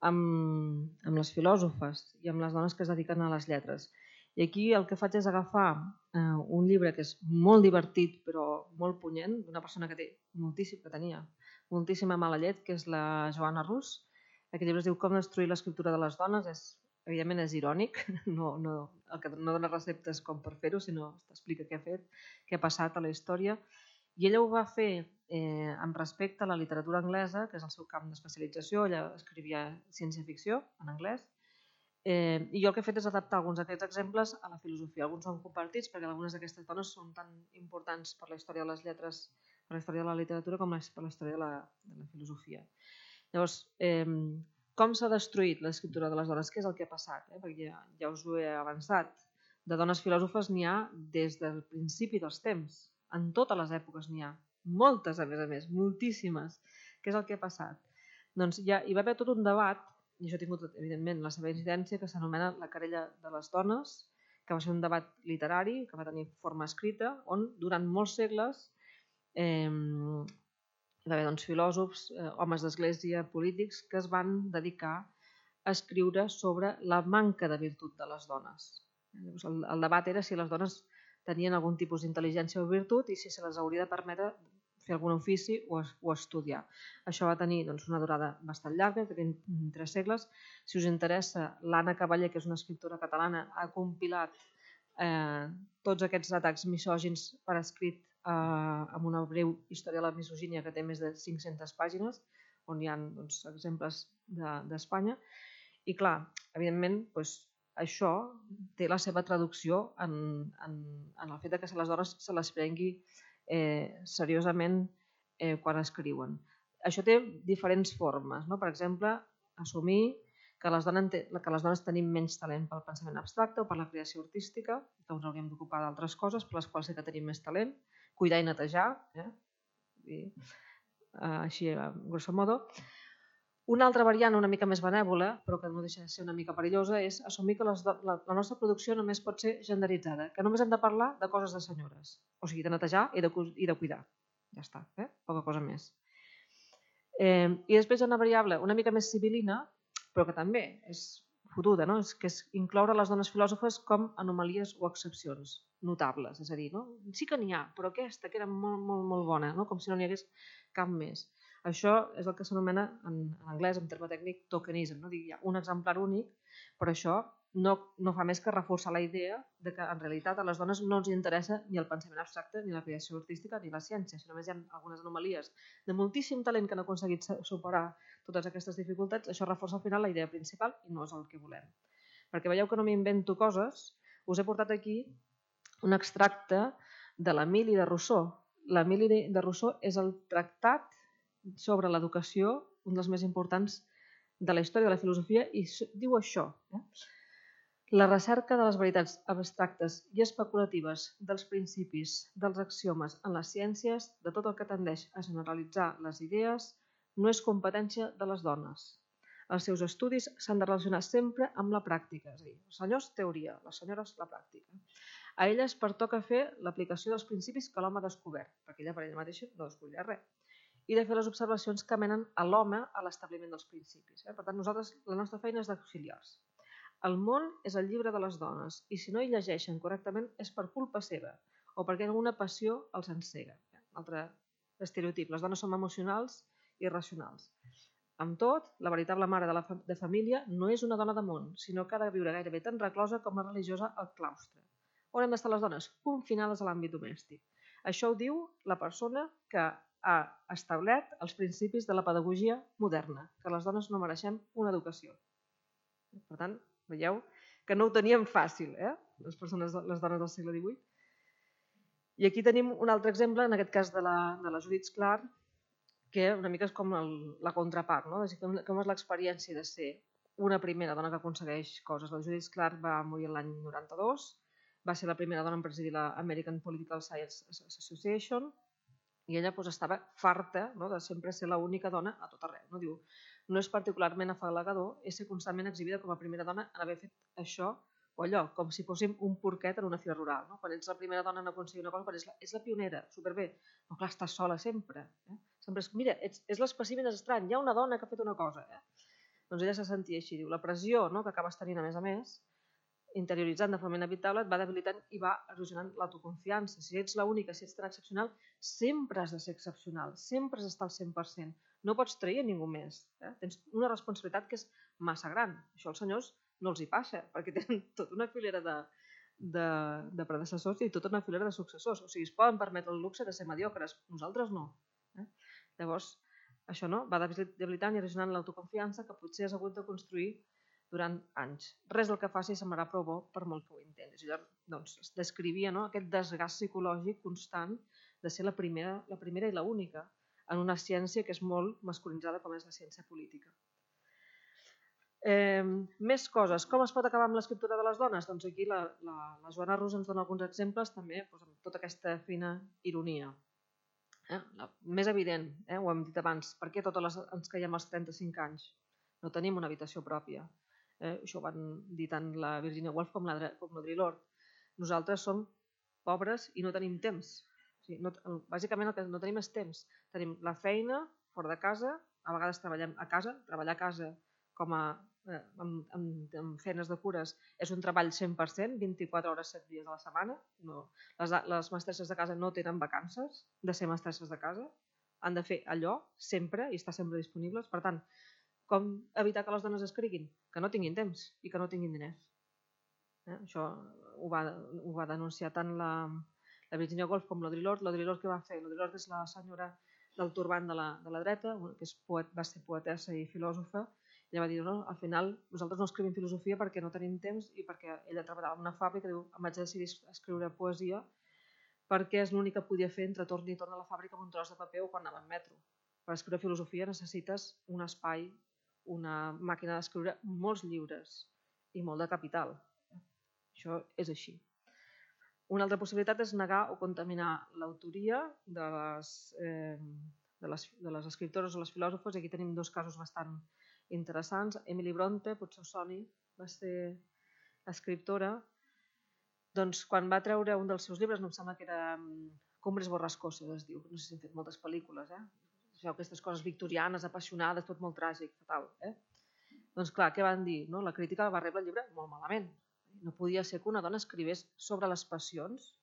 B: amb, amb les filòsofes i amb les dones que es dediquen a les lletres. I aquí el que faig és agafar eh, un llibre que és molt divertit però molt punyent, d'una persona que té moltíssim, que tenia moltíssima mala llet, que és la Joanna Rus. Aquest llibre es diu Com destruir l'escriptura de les dones, és evidentment és irònic, no, no, el que no dona receptes com per fer-ho, sinó t'explica què ha fet, què ha passat a la història. I ella ho va fer eh, amb respecte a la literatura anglesa, que és el seu camp d'especialització. Ella escrivia ciència-ficció en anglès. Eh, I jo el que he fet és adaptar alguns d'aquests exemples a la filosofia. Alguns són compartits perquè algunes d'aquestes dones són tan importants per la història de les lletres, per la història de la literatura, com per la història de la, de la filosofia. Llavors, eh, com s'ha destruït l'escriptura de les dones? Què és el que ha passat? Eh? Perquè ja, ja us ho he avançat. De dones filòsofes n'hi ha des del principi dels temps. En totes les èpoques n'hi ha. Moltes, a més a més, moltíssimes. Què és el que ha passat? Doncs ja, hi va haver tot un debat, i això ha tingut, evidentment, la seva incidència, que s'anomena la querella de les dones, que va ser un debat literari, que va tenir forma escrita, on durant molts segles eh, hi va haver doncs, filòsofs, eh, homes d'església, polítics, que es van dedicar a escriure sobre la manca de virtut de les dones. Llavors, el, el debat era si les dones tenien algun tipus d'intel·ligència o virtut i si se les hauria de permetre fer algun ofici o, o estudiar. Això va tenir doncs, una durada bastant llarga, que té tres segles. Si us interessa, l'Anna Cavaller, que és una escriptora catalana, ha compilat eh, tots aquests atacs misògins per escrit eh, amb una breu història de la misogínia que té més de cinc-centes pàgines, on hi ha doncs, exemples d'Espanya. De, I clar, evidentment, doncs, això té la seva traducció en, en, en el fet que les dones se les prengui eh, seriosament eh, quan escriuen. Això té diferents formes, no? Per exemple, assumir que les, dones, que les dones tenim menys talent pel pensament abstracte o per la creació artística, que ens hauríem d'ocupar d'altres coses per les quals sí que tenim més talent, cuidar i netejar, eh? I, uh, així a grosso modo. Una altra variant una mica més benèvola, però que no deixa de ser una mica perillosa, és assumir que les, la, la nostra producció només pot ser genderitzada, que només hem de parlar de coses de senyores, o sigui, de netejar i de, i de cuidar. Ja està, eh? Poca cosa més. Eh, I després hi ha una variable una mica més sibil·lina, però que també és fotuda, no? És que és incloure les dones filòsofes com anomalies o excepcions notables. És a dir, no? Sí que n'hi ha, però aquesta que era molt, molt, molt bona, no? Com si no n'hi hagués cap més. Això és el que s'anomena en, en anglès, en terme tècnic, tokenism. No? Dic, hi ha un exemplar únic, però això no, no fa més que reforçar la idea de que en realitat a les dones no ens interessa ni el pensament abstracte, ni la creació artística, ni la ciència. Si només hi ha algunes anomalies de moltíssim talent que han aconseguit superar totes aquestes dificultats, això reforça al final la idea principal i no és el que volem. Perquè veieu que no m'invento coses, us he portat aquí un extracte de l'Emili de Rousseau. L'Emili de Rousseau és el tractat sobre l'educació, un dels més importants de la història de la filosofia, i diu això. Eh? La recerca de les veritats abstractes i especulatives dels principis, dels axiomes en les ciències, de tot el que tendeix a generalitzar les idees, no és competència de les dones. Els seus estudis s'han de relacionar sempre amb la pràctica, és a dir, els senyors teoria, les senyores la pràctica. A elles pertoca fer l'aplicació dels principis que l'home ha descobert, perquè ella per ella mateixa no descobrirà res, i de fer les observacions que menen a l'home a l'establiment dels principis. Per tant, nosaltres, la nostra feina és d'auxiliars. El món és el llibre de les dones i si no hi llegeixen correctament és per culpa seva o perquè alguna passió els encega. Un altre estereotip, les dones som emocionals i racionals. Amb tot, la veritable mare de la de família no és una dona de món, sinó que ha de viure gairebé tan reclosa com la religiosa al claustre. On hem d'estar les dones? Confinades a l'àmbit domèstic. Això ho diu la persona que ha establert els principis de la pedagogia moderna, que les dones no mereixem una educació. Per tant, veieu que no ho teníem fàcil, eh? les, persones, les dones del segle divuit. I aquí tenim un altre exemple, en aquest cas de la, de la Judith Clark, que una mica és com el, la contrapart, no? És com, com és l'experiència de ser una primera dona que aconsegueix coses. La Judith Clark va morir l'any noranta-dos, va ser la primera dona en presidir la American Political Science Association, i ella doncs, estava farta, no? de sempre ser l'única dona a tot arreu. No? Diu, no és particularment afalagador ser constantment exhibida com a primera dona en haver fet això o allò, com si fóssim un porquet en una fira rural. No? Quan ets la primera dona en aconseguir una cosa, quan és la, és la pionera, superbé. No, clar, estàs sola sempre. Eh? Sempre és, mira, ets, és l'espècimen estrany, hi ha una dona que ha fet una cosa. Eh? Doncs ella se sentia així, diu, la pressió no? que acabes tenint a més a més, interioritzant de forma inevitable, et va debilitant i va erosionant l'autoconfiança. Si ets l'única, si ets tan excepcional, sempre has de ser excepcional, sempre has d'estar al cent per cent. No pots trair a ningú més. Eh? Tens una responsabilitat que és massa gran. Això als senyors no els hi passa, perquè tenen tota una filera de, de, de predecessors i tota una filera de successors. O sigui, es poden permetre el luxe de ser mediocres. Nosaltres no. Eh? Llavors, això no? va debilitant i erosionant l'autoconfiança que potser has hagut de construir durant anys. Res del que faci semblarà prou bo per molt que ho intentis. I llavors doncs, es descrivia no? aquest desgast psicològic constant de ser la primera, la primera i l'única en una ciència que és molt masculinitzada com és la ciència política. Eh, més coses. Com es pot acabar amb l'escriptura de les dones? Doncs aquí la, la, la Joana Rus ens dona alguns exemples també doncs, amb tota aquesta fina ironia. Eh? La més evident, eh? ho hem dit abans, per què totes les, ens caiem als trenta-cinc anys? No tenim una habitació pròpia. Eh, això ho van dir tant la Virginia Woolf com l'Audre Lorde. Nosaltres som pobres i no tenim temps. O sigui, no, bàsicament el que no tenim és temps. Tenim la feina fora de casa, a vegades treballem a casa, treballar a casa com a, eh, amb, amb, amb feines de cures és un treball cent per cent, vint-i-quatre hores, set dies a la setmana. No, les, les mestresses de casa no tenen vacances de ser mestresses de casa, han de fer allò sempre i estar sempre disponibles. Per tant, com evitar que les dones escriguin? Que no tinguin temps i que no tinguin diners. Eh? Això ho va, ho va denunciar tant la, la Virginia Woolf com l'Audre Lorde. L'Audre Lorde què va fer? L'Audre Lorde és la senyora del turbant de la, de la dreta, que és poet, va ser poetessa i filòsofa. Ella va dir, no, al final nosaltres no escrivim filosofia perquè no tenim temps i perquè ella treballava en una fàbrica, diu, em vaig decidir escriure poesia perquè és l'únic que podia fer entre torn i torn a la fàbrica amb un tros de paper o quan anava en metro. Per escriure filosofia necessites un espai una màquina d'escriure molts llibres i molt de capital. Això és així. Una altra possibilitat és negar o contaminar l'autoria de les, eh, de, les, de les escriptores o les filòsofes. Aquí tenim dos casos bastant interessants. Emily Bronte, potser us soni, va ser escriptora. Doncs quan va treure un dels seus llibres, no em sembla que era Cumbres borrascoses, es diu. No sé si han fet moltes pel·lícules, eh? Aquestes coses victorianes, apassionades, tot molt tràgic, fatal. Eh? Doncs clar, què van dir? No? La crítica va rebre el llibre molt malament. No podia ser que una dona escrivés sobre les passions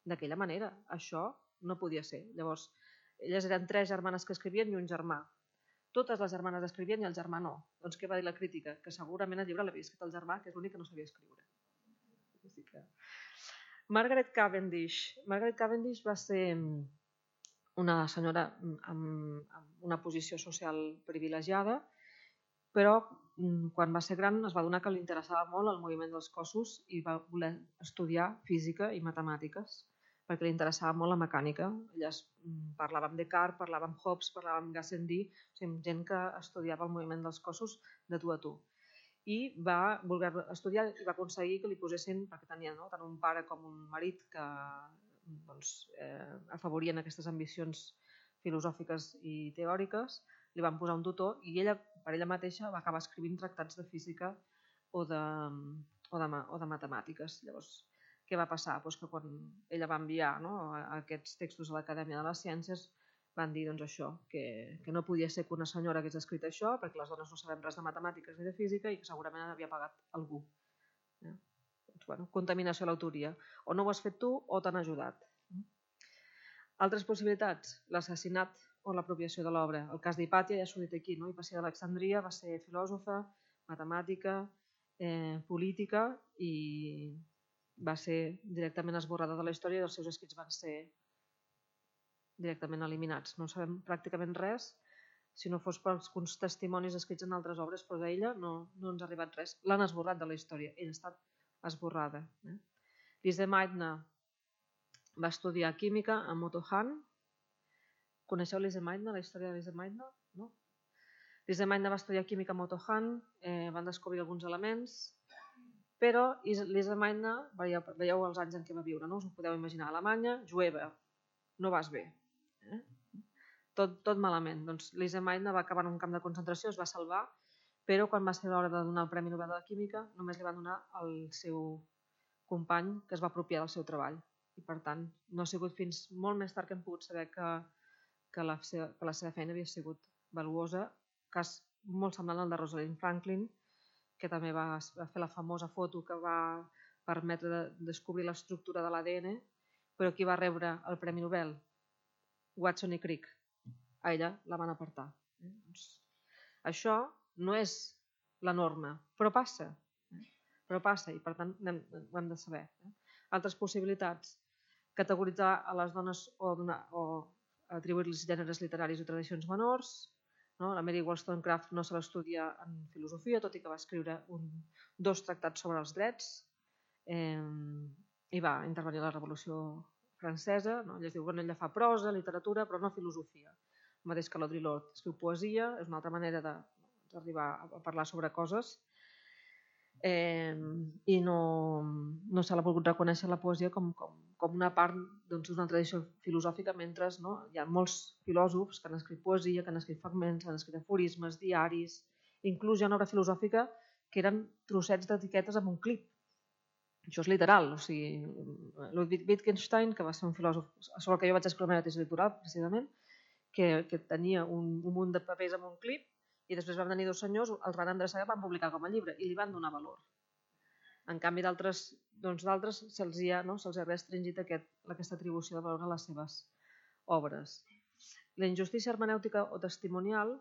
B: d'aquella manera. Això no podia ser. Llavors, elles eren tres germanes que escrivien i un germà. Totes les germanes escrivien i el germà no. Doncs què va dir la crítica? Que segurament el llibre l'havia escrit el germà, que és l'únic que no sabia escriure. Margaret Cavendish. Margaret Cavendish va ser una senyora amb una posició social privilegiada, però quan va ser gran es va adonar que li interessava molt el moviment dels cossos i va voler estudiar física i matemàtiques, perquè li interessava molt la mecànica. Elles parlaven amb Descartes, parlaven amb Hobbes, parlaven amb Gassendi, o sigui, gent que estudiava el moviment dels cossos de tu a tu. I va voler estudiar i va aconseguir que li posessin, perquè tenia no, tant un pare com un marit que doncs, eh, afavorien aquestes ambicions filosòfiques i teòriques, li van posar un tutor i ella, per ella mateixa, va acabar escrivint tractats de física o de, o de, o de matemàtiques. Llavors, què va passar? Pues que quan ella va enviar no, aquests textos a l'Acadèmia de les Ciències, van dir doncs, això, que, que no podia ser que una senyora hagués escrit això, perquè les dones no sabem res de matemàtiques ni de física i que segurament havia pagat algú. Eh? Doncs, bueno, contaminació a l'autoria. O no ho has fet tu o t'han ajudat. Altres possibilitats, l'assassinat o l'apropiació de l'obra. El cas d'Hipàtia ja s'ho dit aquí, no? Hipàcia d'Alexandria va ser filòsofa, matemàtica, eh, política i va ser directament esborrada de la història i els seus escrits van ser directament eliminats. No sabem pràcticament res, si no fos pels testimonis escrits en altres obres, però d'ella no, no ens ha arribat res. L'han esborrat de la història, ella ha estat esborrada. Eh? Lise Meitner va estudiar química amb Otto Hahn. Coneixeu Lise Meitner, la història de Lise Meitner? No? Lise Meitner va estudiar química amb Otto Hahn, eh, van descobrir alguns elements, però Lise Meitner, veieu, veieu els anys en què va viure, no? Us ho podeu imaginar, Alemanya, jueva, no vas bé. Eh? Tot, tot malament. Doncs Lise Meitner va acabar en un camp de concentració, es va salvar, però quan va ser l'hora de donar el Premi Nobel de la Química només li van donar al seu company que es va apropiar del seu treball. I per tant, no ha sigut fins molt més tard que hem pogut saber que, que, la, seva, que la seva feina havia sigut valuosa, cas molt semblant al de Rosalind Franklin, que també va, va fer la famosa foto que va permetre de descobrir l'estructura de l'A D N, però qui va rebre el Premi Nobel? Watson i Crick. A ella la van apartar. Eh? Doncs, això no és la norma, però passa. Eh? Però passa i per tant ho hem de saber. Eh? Altres possibilitats, categoritzar a les dones o, donar, o atribuir-los gèneres literaris o tradicions menors. No? La Mary Wollstonecraft no se l'estudia en filosofia, tot i que va escriure un, dos tractats sobre els drets eh, i va intervenir a la Revolució Francesa. No? Ella es diu, bueno, ella fa prosa, literatura, però no filosofia. El mateix que l'Audre Lorde escriu poesia, és una altra manera d'arribar a parlar sobre coses. Eh, I no, no se l'ha volgut reconèixer la poesia com, com, com una part doncs, d'una tradició filosòfica, mentre no, hi ha molts filòsofs que han escrit poesia, que han escrit fragments, han escrit aforismes, diaris, inclús hi ha una obra filosòfica que eren trossets d'etiquetes amb un clip. Això és literal, o sigui, Ludwig Wittgenstein, que va ser un filòsof sobre el que jo vaig escriure la meva tesi doctoral, precisament, que, que tenia un, un munt de papers amb un clip i després van venir dos senyors, els van endreçar i van publicar com a llibre i li van donar valor. En canvi, d'altres doncs, se'ls ha, no, se'ls ha restringit aquest, aquesta atribució de valor a les seves obres. La injustícia hermenèutica o testimonial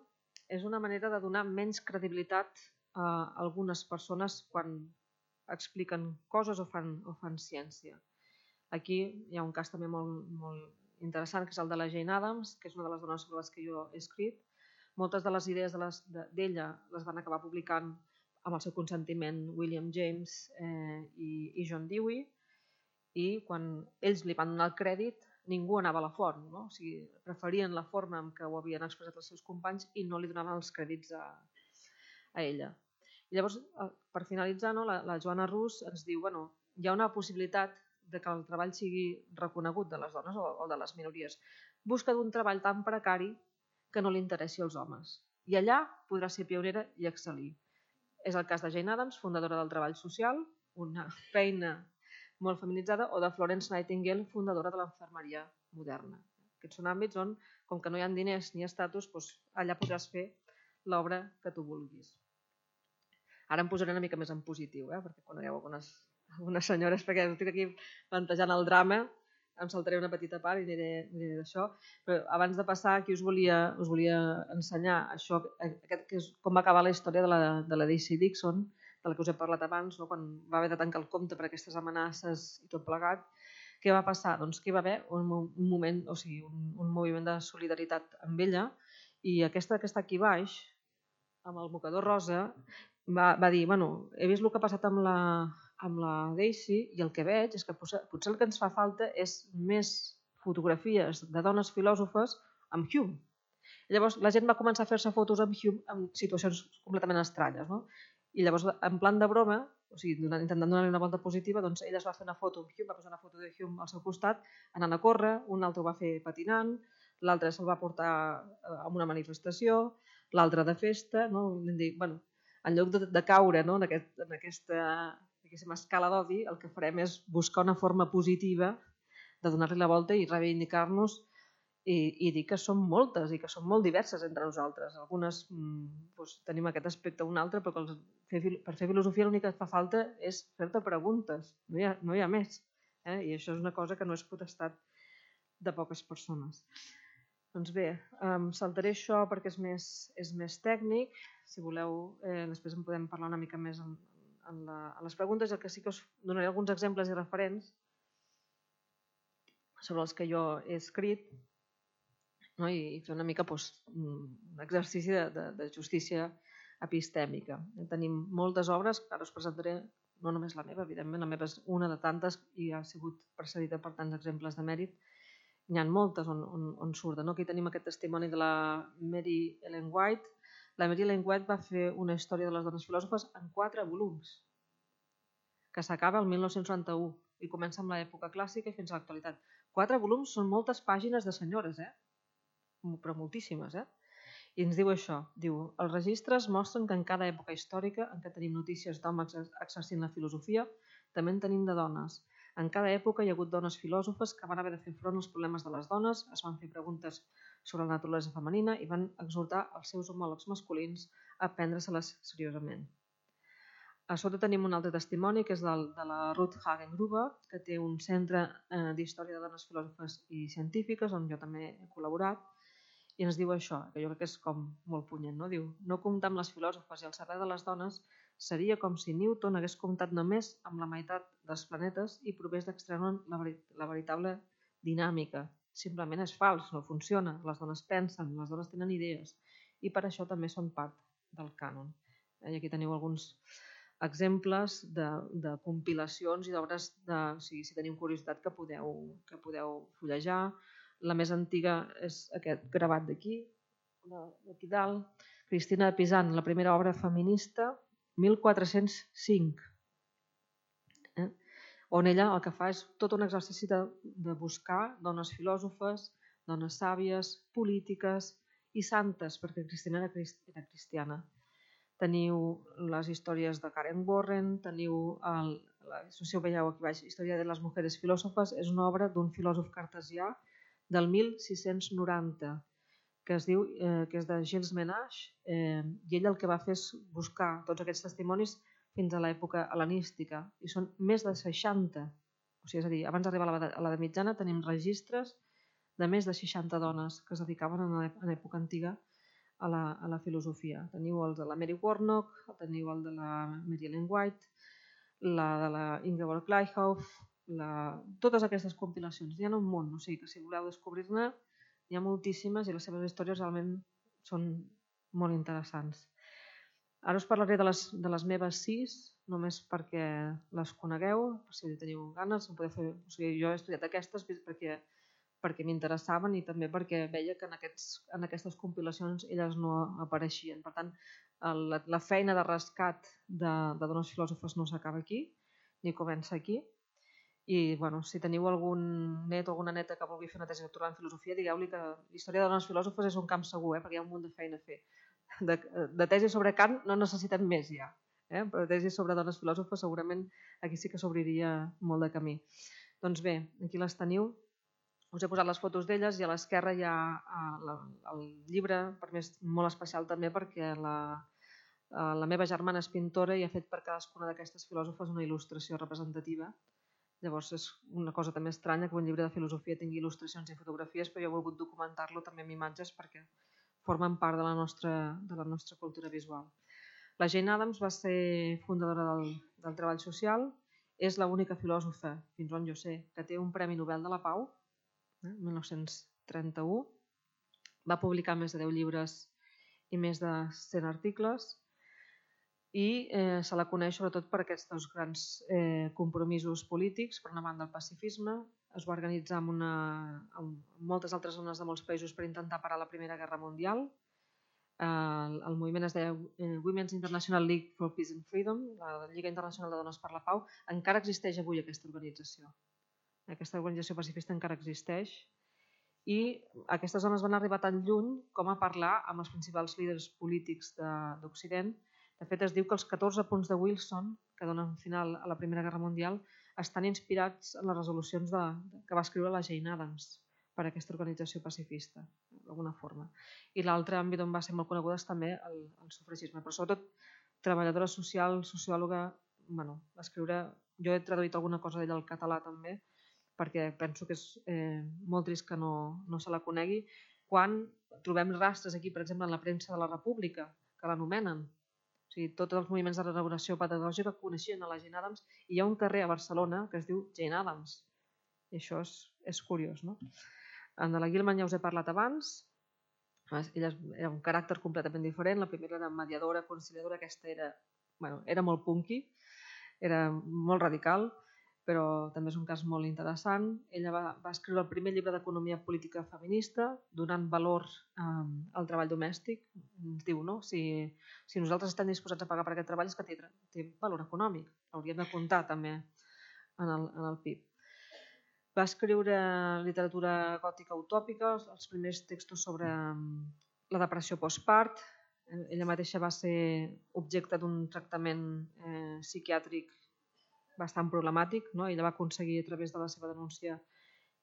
B: és una manera de donar menys credibilitat a algunes persones quan expliquen coses o fan, o fan ciència. Aquí hi ha un cas també molt, molt interessant, que és el de la Jane Addams, que és una de les dones sobre les que jo he escrit. Moltes de les idees d'ella de les, de, les van acabar publicant amb el seu consentiment William James eh, i, i John Dewey, i quan ells li van donar el crèdit, ningú anava a la font, no? O sigui, preferien la forma en què ho havien expressat els seus companys i no li donaven els crèdits a, a ella. I llavors, per finalitzar, no, la, la Joana Rus ens diu bueno, hi ha una possibilitat de que el treball sigui reconegut de les dones o, o de les minories. Busca d'un treball tan precari que no li interessi als homes. I allà podrà ser pionera i excel·lir. És el cas de Jane Addams, fundadora del treball social, una feina molt feminitzada, o de Florence Nightingale, fundadora de l'enfermeria moderna. Aquests són àmbits on, com que no hi ha diners ni estatus, doncs allà podràs fer l'obra que tu vulguis. Ara em posaré una mica més en positiu, eh? Perquè conegueu algunes, algunes senyores, perquè estic aquí plantejant el drama, em saltaré una petita part i aniré, aniré d'això. Però abans de passar, aquí us volia, us volia ensenyar això, aquest, que és com va acabar la història de la, de la Daisy Dixon, de la que us he parlat abans, no? Quan va haver de tancar el compte per aquestes amenaces i tot plegat. Què va passar? Doncs que hi va haver un, un moment, o sigui, un, un moviment de solidaritat amb ella, i aquesta que està aquí baix, amb el mocador rosa, va, va dir, bueno, he vist el que ha passat amb la, amb la Daisy i el que veig és que potser, potser el que ens fa falta és més fotografies de dones filòsofes amb Hume. I llavors la gent va començar a fer-se fotos amb Hume en situacions completament estranyes, no? I llavors, en plan de broma, o sigui, intentant donar-li una volta positiva, doncs ella es va fer una foto amb Hume, va posar una foto de Hume al seu costat, anant a córrer, un altre ho va fer patinant, l'altre se'l va portar a una manifestació, l'altre de festa, no? Bueno, en lloc de, de caure, no? en, aquest, en aquesta escala d'odi, el que farem és buscar una forma positiva de donar-li la volta i reivindicar-nos i, i dir que som moltes i que som molt diverses entre nosaltres. Algunes doncs, tenim aquest aspecte o un altre, però que els, fer, per fer filosofia l'únic que et fa falta és fer-te preguntes, no hi ha, no hi ha més. Eh? I això és una cosa que no és potestat de poques persones. Doncs bé, um, saltaré això perquè és més, és més tècnic. Si voleu, eh, després en podem parlar una mica més en, en, la, en les preguntes. El que sí que us donaré alguns exemples i referents sobre els que jo he escrit, no? I, i fer una mica doncs, un exercici de, de, de justícia epistèmica. Tenim moltes obres que ara us presentaré, no només la meva, evidentment, la meva és una de tantes i ha sigut precedida per tants exemples de mèrit. N'hi ha moltes on, on, on surten. No? Aquí tenim aquest testimoni de la Mary Ellen White. La Mary Ellen White va fer una història de les dones filòsofes en quatre volums, que s'acaba el mil nou-cents noranta-u i comença amb l'època clàssica i fins a l'actualitat. Quatre volums són moltes pàgines de senyores, eh? Però moltíssimes. Eh? I ens diu això, diu, els registres mostren que en cada època històrica en què tenim notícies d'homes exercint la filosofia, també en tenim de dones. En cada època hi ha hagut dones filòsofes que van haver de fer front als problemes de les dones, es van fer preguntes sobre la naturalesa femenina i van exhortar els seus homòlegs masculins a prendre-se-les seriosament. A sota tenim un altre testimoni que és del, de la Ruth Hagen-Gruber, que té un centre eh, d'història de dones filòsofes i científiques on jo també he col·laborat, i ens diu això, que jo crec que és com molt punyent, no? Diu, no comptar amb les filòsofes i el servei de les dones seria com si Newton hagués comptat només amb la meitat dels planetes i provés d'extreure la, veri la veritable dinàmica. Simplement és fals, no funciona. Les dones pensen, les dones tenen idees i per això també són part del cànon. I aquí teniu alguns exemples de, de compilacions i d'obres, o sigui, si teniu curiositat, que podeu, que podeu fullejar. La més antiga és aquest gravat d'aquí, d'aquí dalt. Cristina de Pisan, la primera obra feminista, mil quatre-cents cinc, eh? On ella el que fa és tot un exercici de, de buscar dones filòsofes, dones sàvies, polítiques i santes, perquè Cristina era, era cristiana. Teniu les històries de Karen Warren, teniu, el, la, si ho veieu aquí baix, Història de les mujeres filòsofes, és una obra d'un filòsof cartesià del mil sis-cents noranta, que es diu, eh, que és de Gilles Menage, eh, i ell el que va fer és buscar tots aquests testimonis fins a l'època hel·lenística, i són més de seixanta. O sigui, és a dir, abans d'arribar a l'edat mitjana tenim registres de més de seixanta dones que es dedicaven en l'època antiga a la, a la filosofia. Teniu el de la Mary Warnock, teniu el de la Mary Ellen White, la de la Ingeborg Gleichhoff, la... totes aquestes compilacions. N'hi ha un munt, o sigui que si voleu descobrir-ne hi ha moltíssimes i les seves històries realment són molt interessants. Ara us parlaré de les, de les meves sis, només perquè les conegueu, per si teniu ganes. Podeu fer... o sigui, jo he estudiat aquestes perquè perquè m'interessaven i també perquè veia que en, aquests, en aquestes compilacions elles no apareixien. Per tant, la, la feina de rescat de, de dones filòsofes no s'acaba aquí, ni comença aquí. I bueno, si teniu algun net o alguna neta que vulgui fer una tesi doctoral en filosofia, digueu-li que la història de dones filòsofes és un camp segur, eh? Perquè hi ha un munt de feina a fer. De, de tesi sobre Kant no necessitem més ja, eh? Però de tesi sobre dones filòsofes segurament aquí sí que s'obriria molt de camí. Doncs bé, aquí les teniu. Us he posat les fotos d'elles i a l'esquerra hi ha el llibre, per mi és molt especial també perquè la, la meva germana és pintora i ha fet per cadascuna d'aquestes filòsofes una il·lustració representativa. Llavors és una cosa també estranya que un llibre de filosofia tingui il·lustracions i fotografies, però jo he volgut documentar-lo també amb imatges perquè formen part de la nostra, de la nostra cultura visual. La Jane Addams va ser fundadora del, del treball social, és l'única filòsofa, fins on jo sé, que té un Premi Nobel de la Pau, eh, mil nou-cents trenta-u, va publicar més de deu llibres i més de cent articles, i eh, se la coneix sobretot per aquests grans eh, compromisos polítics. Per una banda el pacifisme, es va organitzar amb, una, amb moltes altres zones de molts països per intentar parar la Primera Guerra Mundial. Eh, el, el moviment es deia eh, Women's International League for Peace and Freedom, la Lliga Internacional de Dones per la Pau. Encara existeix avui aquesta organització. Aquesta organització pacifista encara existeix i aquestes dones van arribar tan lluny com a parlar amb els principals líders polítics d'Occident. De fet, es diu que els catorze punts de Wilson, que donen final a la Primera Guerra Mundial, estan inspirats en les resolucions de, que va escriure la Jane Addams per a aquesta organització pacifista, d'alguna forma. I l'altre àmbit on va ser molt coneguda és també el, el sufragisme, però sobretot treballadora social, sociòloga, bueno, va escriure, jo he traduït alguna cosa d'ella al català també, perquè penso que és eh, molt trist que no, no se la conegui, quan trobem rastres aquí, per exemple, en la premsa de la República, que l'anomenen. O sigui, tots els moviments de renovació pedagògica coneixien a la Jane Addams i hi ha un carrer a Barcelona que es diu Jane Addams. I això és, és curiós, no? En la Gilman ja us he parlat abans. Ella era un caràcter completament diferent. La primera era mediadora, conciliadora. Aquesta era, bueno, era molt punky, era molt radical, però també és un cas molt interessant. Ella va, va escriure el primer llibre d'economia política feminista, donant valor eh, al treball domèstic. Ens diu, no? Si, si nosaltres estem disposats a pagar per aquest treball és que té, té valor econòmic. Hauríem de comptar també en el, en el P I B. Va escriure literatura gòtica utòpica, els primers textos sobre la depressió postpart. Ella mateixa va ser objecte d'un tractament eh, psiquiàtric bastant problemàtic, no? Ella va aconseguir a través de la seva denúncia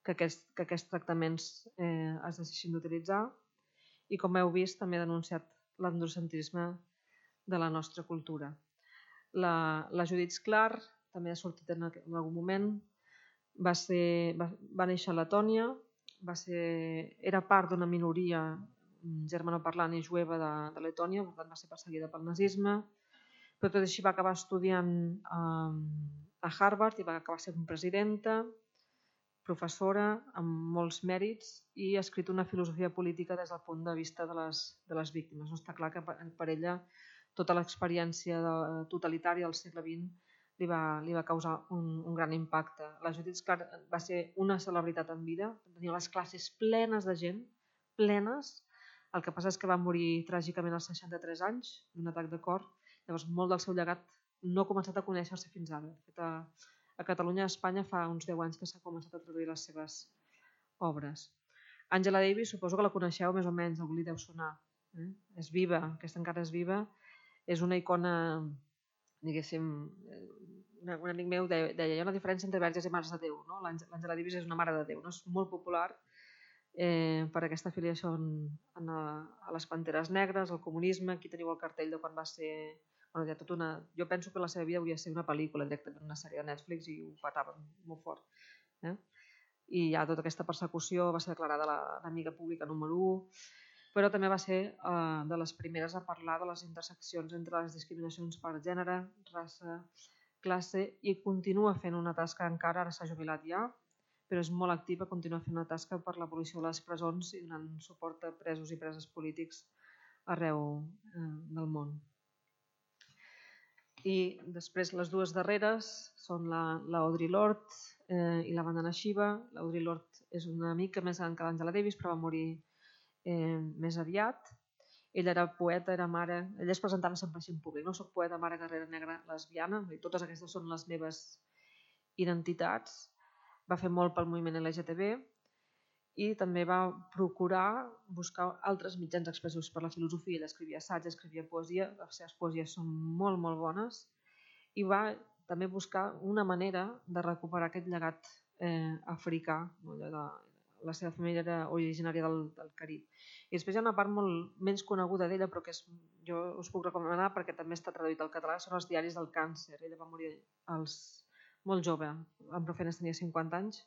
B: que, aquest, que aquests tractaments eh, es deixessin d'utilitzar i, com heu vist, també ha denunciat l'androcentrisme de la nostra cultura. La, la Judith Clark també ha sortit en, en algun moment, va, ser, va, va néixer a Letònia, va ser, era part d'una minoria germanoparlant i jueva de, de Letònia, per tant va ser perseguida pel nazisme, però tot així va acabar estudiant eh, a Harvard i va acabar sent presidenta, professora amb molts mèrits i ha escrit una filosofia política des del punt de vista de les, de les víctimes. No està clar que per ella tota l'experiència totalitària del segle vint li va, li va causar un, un gran impacte. La Judith Clark va ser una celebritat en vida, tenia les classes plenes de gent, plenes. El que passa és que va morir tràgicament als seixanta-tres anys d'un atac de cor. Llavors, molt del seu llegat no ha començat a conèixer-se fins ara. De fet, a, a Catalunya i a Espanya fa uns deu anys que s'ha començat a traduir les seves obres. Angela Davis, suposo que la coneixeu més o menys, algú li deu sonar. Eh? És viva, aquesta encara és viva. És una icona, diguéssim, un amic meu deia, hi ha una diferència entre verges i mares de Déu. No? L'Angela Davis és una mare de Déu, no? És molt popular eh, per aquesta afiliació en, en a, a les Panteres Negres, al comunisme. Aquí teniu el cartell de quan va ser... Bueno, hi ha tot una... Jo penso que la seva vida hauria de ser una pel·lícula directament, una sèrie de Netflix, i ho patava molt fort. Eh? I ja tota aquesta persecució va ser declarada l'enemiga pública número u, però també va ser eh, de les primeres a parlar de les interseccions entre les discriminacions per gènere, raça, classe, i continua fent una tasca encara, ara s'ha jubilat ja, però és molt activa, continua fent una tasca per l'abolició de les presons i donant suport a presos i preses polítics arreu eh, del món. I després les dues darreres són la, la Audre Lorde, i la Vandana Shiva. L'Audre Lorde és una mica més gran que l'Angela Davis, però va morir més aviat. Ella era poeta, era mare, ella es presentava sempre així en públic, no soc poeta, mare, guerrera negra, lesbiana, totes aquestes són les meves identitats. Va fer molt pel moviment L G T B i també va procurar buscar altres mitjans expressius per la filosofia. Ella escrivia assaig, escrivia poesia, les seves poesies són molt, molt bones, i va també buscar una manera de recuperar aquest llegat eh, africà. La seva família era originària del, del Carib. I després hi ha una part molt menys coneguda d'ella, però que és, jo us puc recomanar perquè també està traduït al català, són els diaris del càncer. Ella va morir als, molt jove, en prou feines tenia cinquanta anys,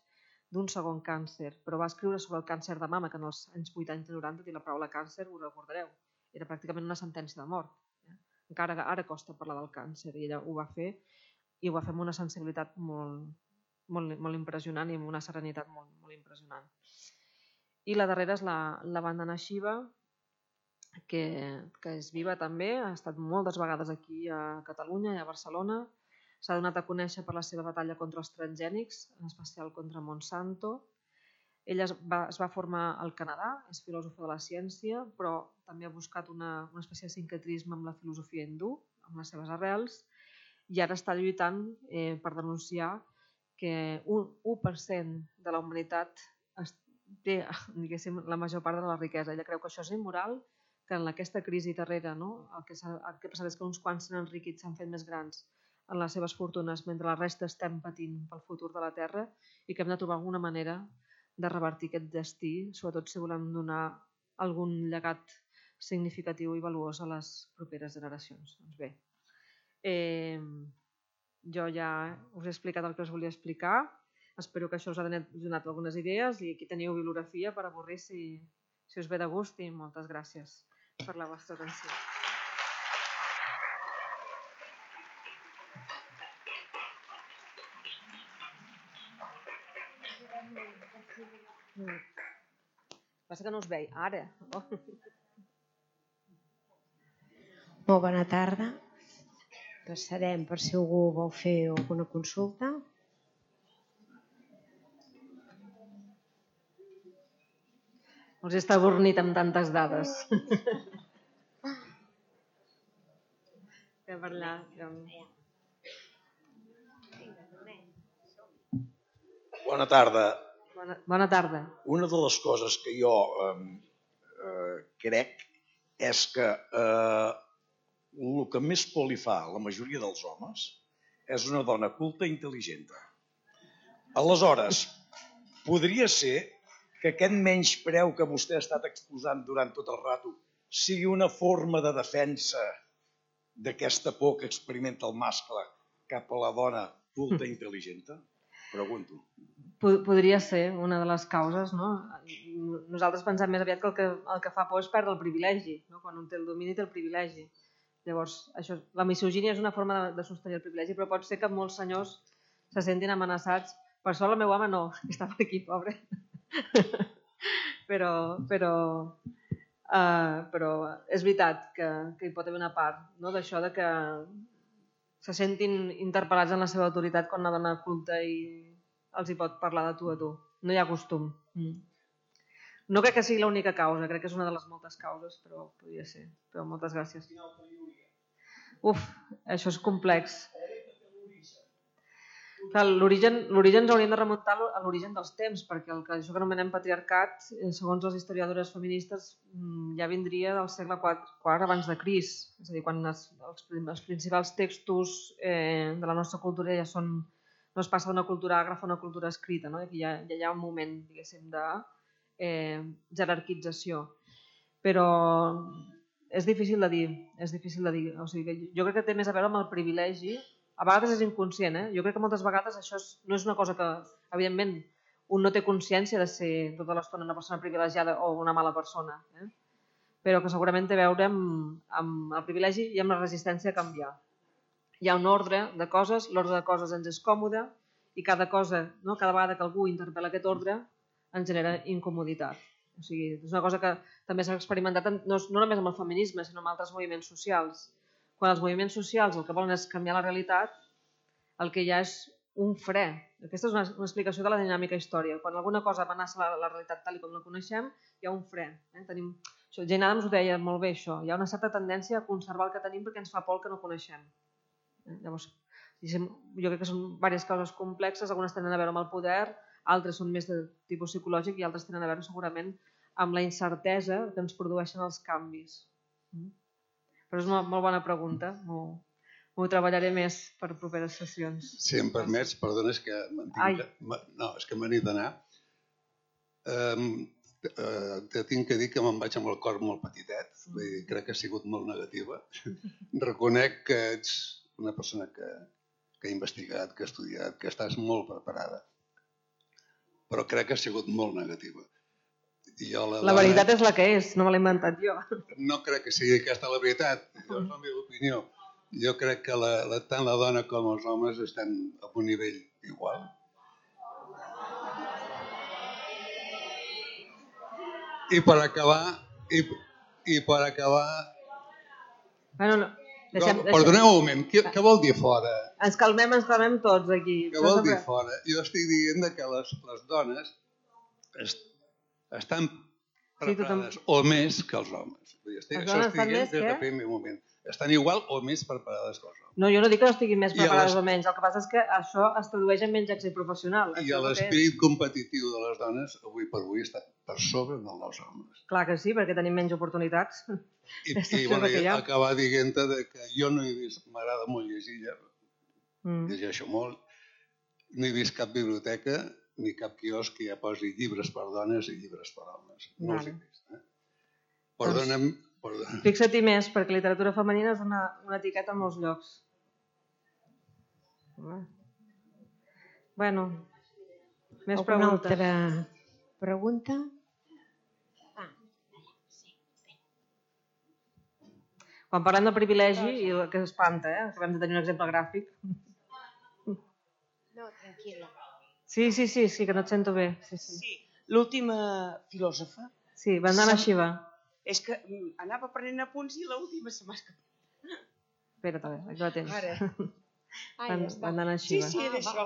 B: d'un segon càncer, però va escriure sobre el càncer de mama, que en els anys vuitanta i noranta, i la paraula càncer, ho recordareu, era pràcticament una sentència de mort. Encara ara costa parlar del càncer, i ella ho va fer, i ho va fer amb una sensibilitat molt, molt, molt impressionant i amb una serenitat molt, molt impressionant. I la darrera és la, la Vandana Shiva, que, que és viva també, ha estat moltes vegades aquí a Catalunya i a Barcelona. S'ha donat a conèixer per la seva batalla contra els transgènics, en especial contra Monsanto. Ella es va, es va formar al Canadà, és filòsofa de la ciència, però també ha buscat una, una espècie de sincretisme amb la filosofia hindú, amb les seves arrels, i ara està lluitant eh, per denunciar que un u per cent de la humanitat té, diguéssim, la major part de la riquesa. Ella creu que això és immoral, que en aquesta crisi darrera, no, el que ha passat és que uns quants s'han enriquit, s'han fet més grans en les seves fortunes, mentre la resta estem patint pel futur de la Terra, i que hem de trobar alguna manera de revertir aquest destí, sobretot si volem donar algun llegat significatiu i valuós a les properes generacions. Doncs bé, eh, jo ja us he explicat el que us volia explicar, espero que això us ha donat algunes idees, i aquí teniu bibliografia per avorrir si, si us ve de gust, i moltes gràcies per la vostra atenció. Passa que no us veig, ara. Oh.
D: Molt bona tarda. Passarem per si algú vol fer alguna consulta.
B: Us està avornit amb tantes dades. Per allà.
E: Bona tarda.
B: Bona, bona tarda.
E: Una de les coses que jo eh, eh, crec és que eh, el que més por li fa a la majoria dels homes és una dona culta i intel·ligent. Aleshores, podria ser que aquest menyspreu que vostè ha estat exposant durant tot el rato sigui una forma de defensa d'aquesta por que experimenta el mascle cap a la dona culta i intel·ligent? Pregunto.
B: Podria ser una de les causes, no? Nosaltres pensem més aviat que el que, el que fa por és perdre el privilegi, no? Quan un té el domini té el privilegi. Llavors, això, la misogínia és una forma de, de sostenir el privilegi, però pot ser que molts senyors se sentin amenaçats. Per sort el meu home no, estava aquí, pobre. però, però, uh, però és veritat que, que hi pot haver una part, no? D'això de que se sentin interpel·lats en la seva autoritat quan una dona culta i els hi pot parlar de tu a tu. No hi ha costum. Mm. No crec que sigui l'única causa, crec que és una de les moltes causes, però podria ser. Però moltes gràcies. Uf, això és complex. L'origen ens hauríem de remuntar a l'origen dels temps, perquè el que això que anomenem patriarcat, segons les historiadores feministes, ja vindria del segle quart abans de Crist. És a dir, quan els, els principals textos eh, de la nostra cultura ja són, no es passa d'una cultura àgrafa a una cultura escrita, no? Aquí ja, ja hi ha un moment, diguéssim, de eh, jerarquització. Però és difícil de dir, és difícil de dir. O sigui, jo crec que té més a veure amb el privilegi. A vegades és inconscient, eh? Jo crec que moltes vegades això és, no és una cosa que, evidentment, un no té consciència de ser tota l'estona una persona privilegiada o una mala persona, eh? Però que segurament té a veure amb, amb el privilegi i amb la resistència a canviar. Hi ha un ordre de coses, l'ordre de coses ens és còmode i cada cosa, no? Cada vegada que algú interpel·la aquest ordre ens genera incomoditat. O sigui, és una cosa que també s'ha experimentat no, no només amb el feminisme, sinó amb altres moviments socials. Quan els moviments socials el que volen és canviar la realitat, el que hi ha és un fre. Aquesta és una, una explicació de la dinàmica història. Quan alguna cosa amenaça la, la realitat tal com la coneixem, hi ha un fre. Eh? Tenim... Això, Jane Addams ho deia molt bé, això. Hi ha una certa tendència a conservar el que tenim perquè ens fa por el que no coneixem. Eh? Llavors, jo crec que són diverses coses complexes, algunes tenen a veure amb el poder, altres són més de tipus psicològic i altres tenen a veure segurament amb la incertesa que ens produeixen els canvis. Però és una molt bona pregunta, m'ho treballaré més per properes sessions.
F: Si em permets, perdona, és que no, és que m'he d'anar. Te tinc que dir que me'n vaig amb el cor molt petitet, crec que ha sigut molt negativa. Reconec que ets una persona que ha investigat, que ha estudiat, que estàs molt preparada, però crec que ha sigut molt negativa.
B: La veritat és la que és, no me l'he inventat jo.
F: No crec que sigui aquesta la veritat, és la meva opinió. Jo crec que tant la dona com els homes estan a un nivell igual. I per acabar... I per acabar... Perdoneu un moment, què vol dir fora?
B: Ens calmem, ens calmem tots aquí.
F: Què vol dir fora? Jo estic dient que les dones estan preparades o més que els homes. Això estic dient des del primer moment. Estan igual o més preparades que els homes.
B: No, jo no dic que no estiguin més preparades o menys. El que passa és que això es tradueix en menys èxit professional.
F: I l'esperit competitiu de les dones avui per avui està per sobre del dels homes.
B: Clar que sí, perquè tenim menys oportunitats.
F: I acabar dient-te que jo no he vist, m'agrada molt llegir, llegeixo molt, no he vist cap biblioteca ni cap quiosc que ja posi llibres per dones i llibres per homes. No els he vist. Perdona'm.
B: Fixa-t'hi més, perquè literatura femenina és una etiqueta en molts llocs. Bueno, més preguntes.
D: Alguna altra pregunta?
B: Quan parlem de privilegi, que espanta, acabem de tenir un exemple gràfic.
D: No, tranquil·la.
B: Sí, sí, sí, que no et sento bé.
G: Sí, l'última filòsofa...
B: Sí, Vandana Shiva.
G: És que anava prenent apunts i l'última se m'ha escapat.
B: Espera't, a veure, aquí la tens.
G: Ara.
B: Vandana Shiva.
G: Sí, sí, era això.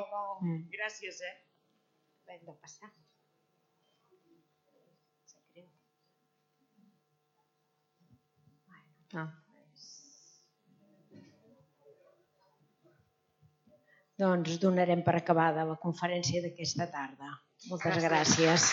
G: Gràcies, eh?
D: Hem de passar.
B: Ah.
D: Doncs donarem per acabada la conferència d'aquesta tarda. Moltes gràcies.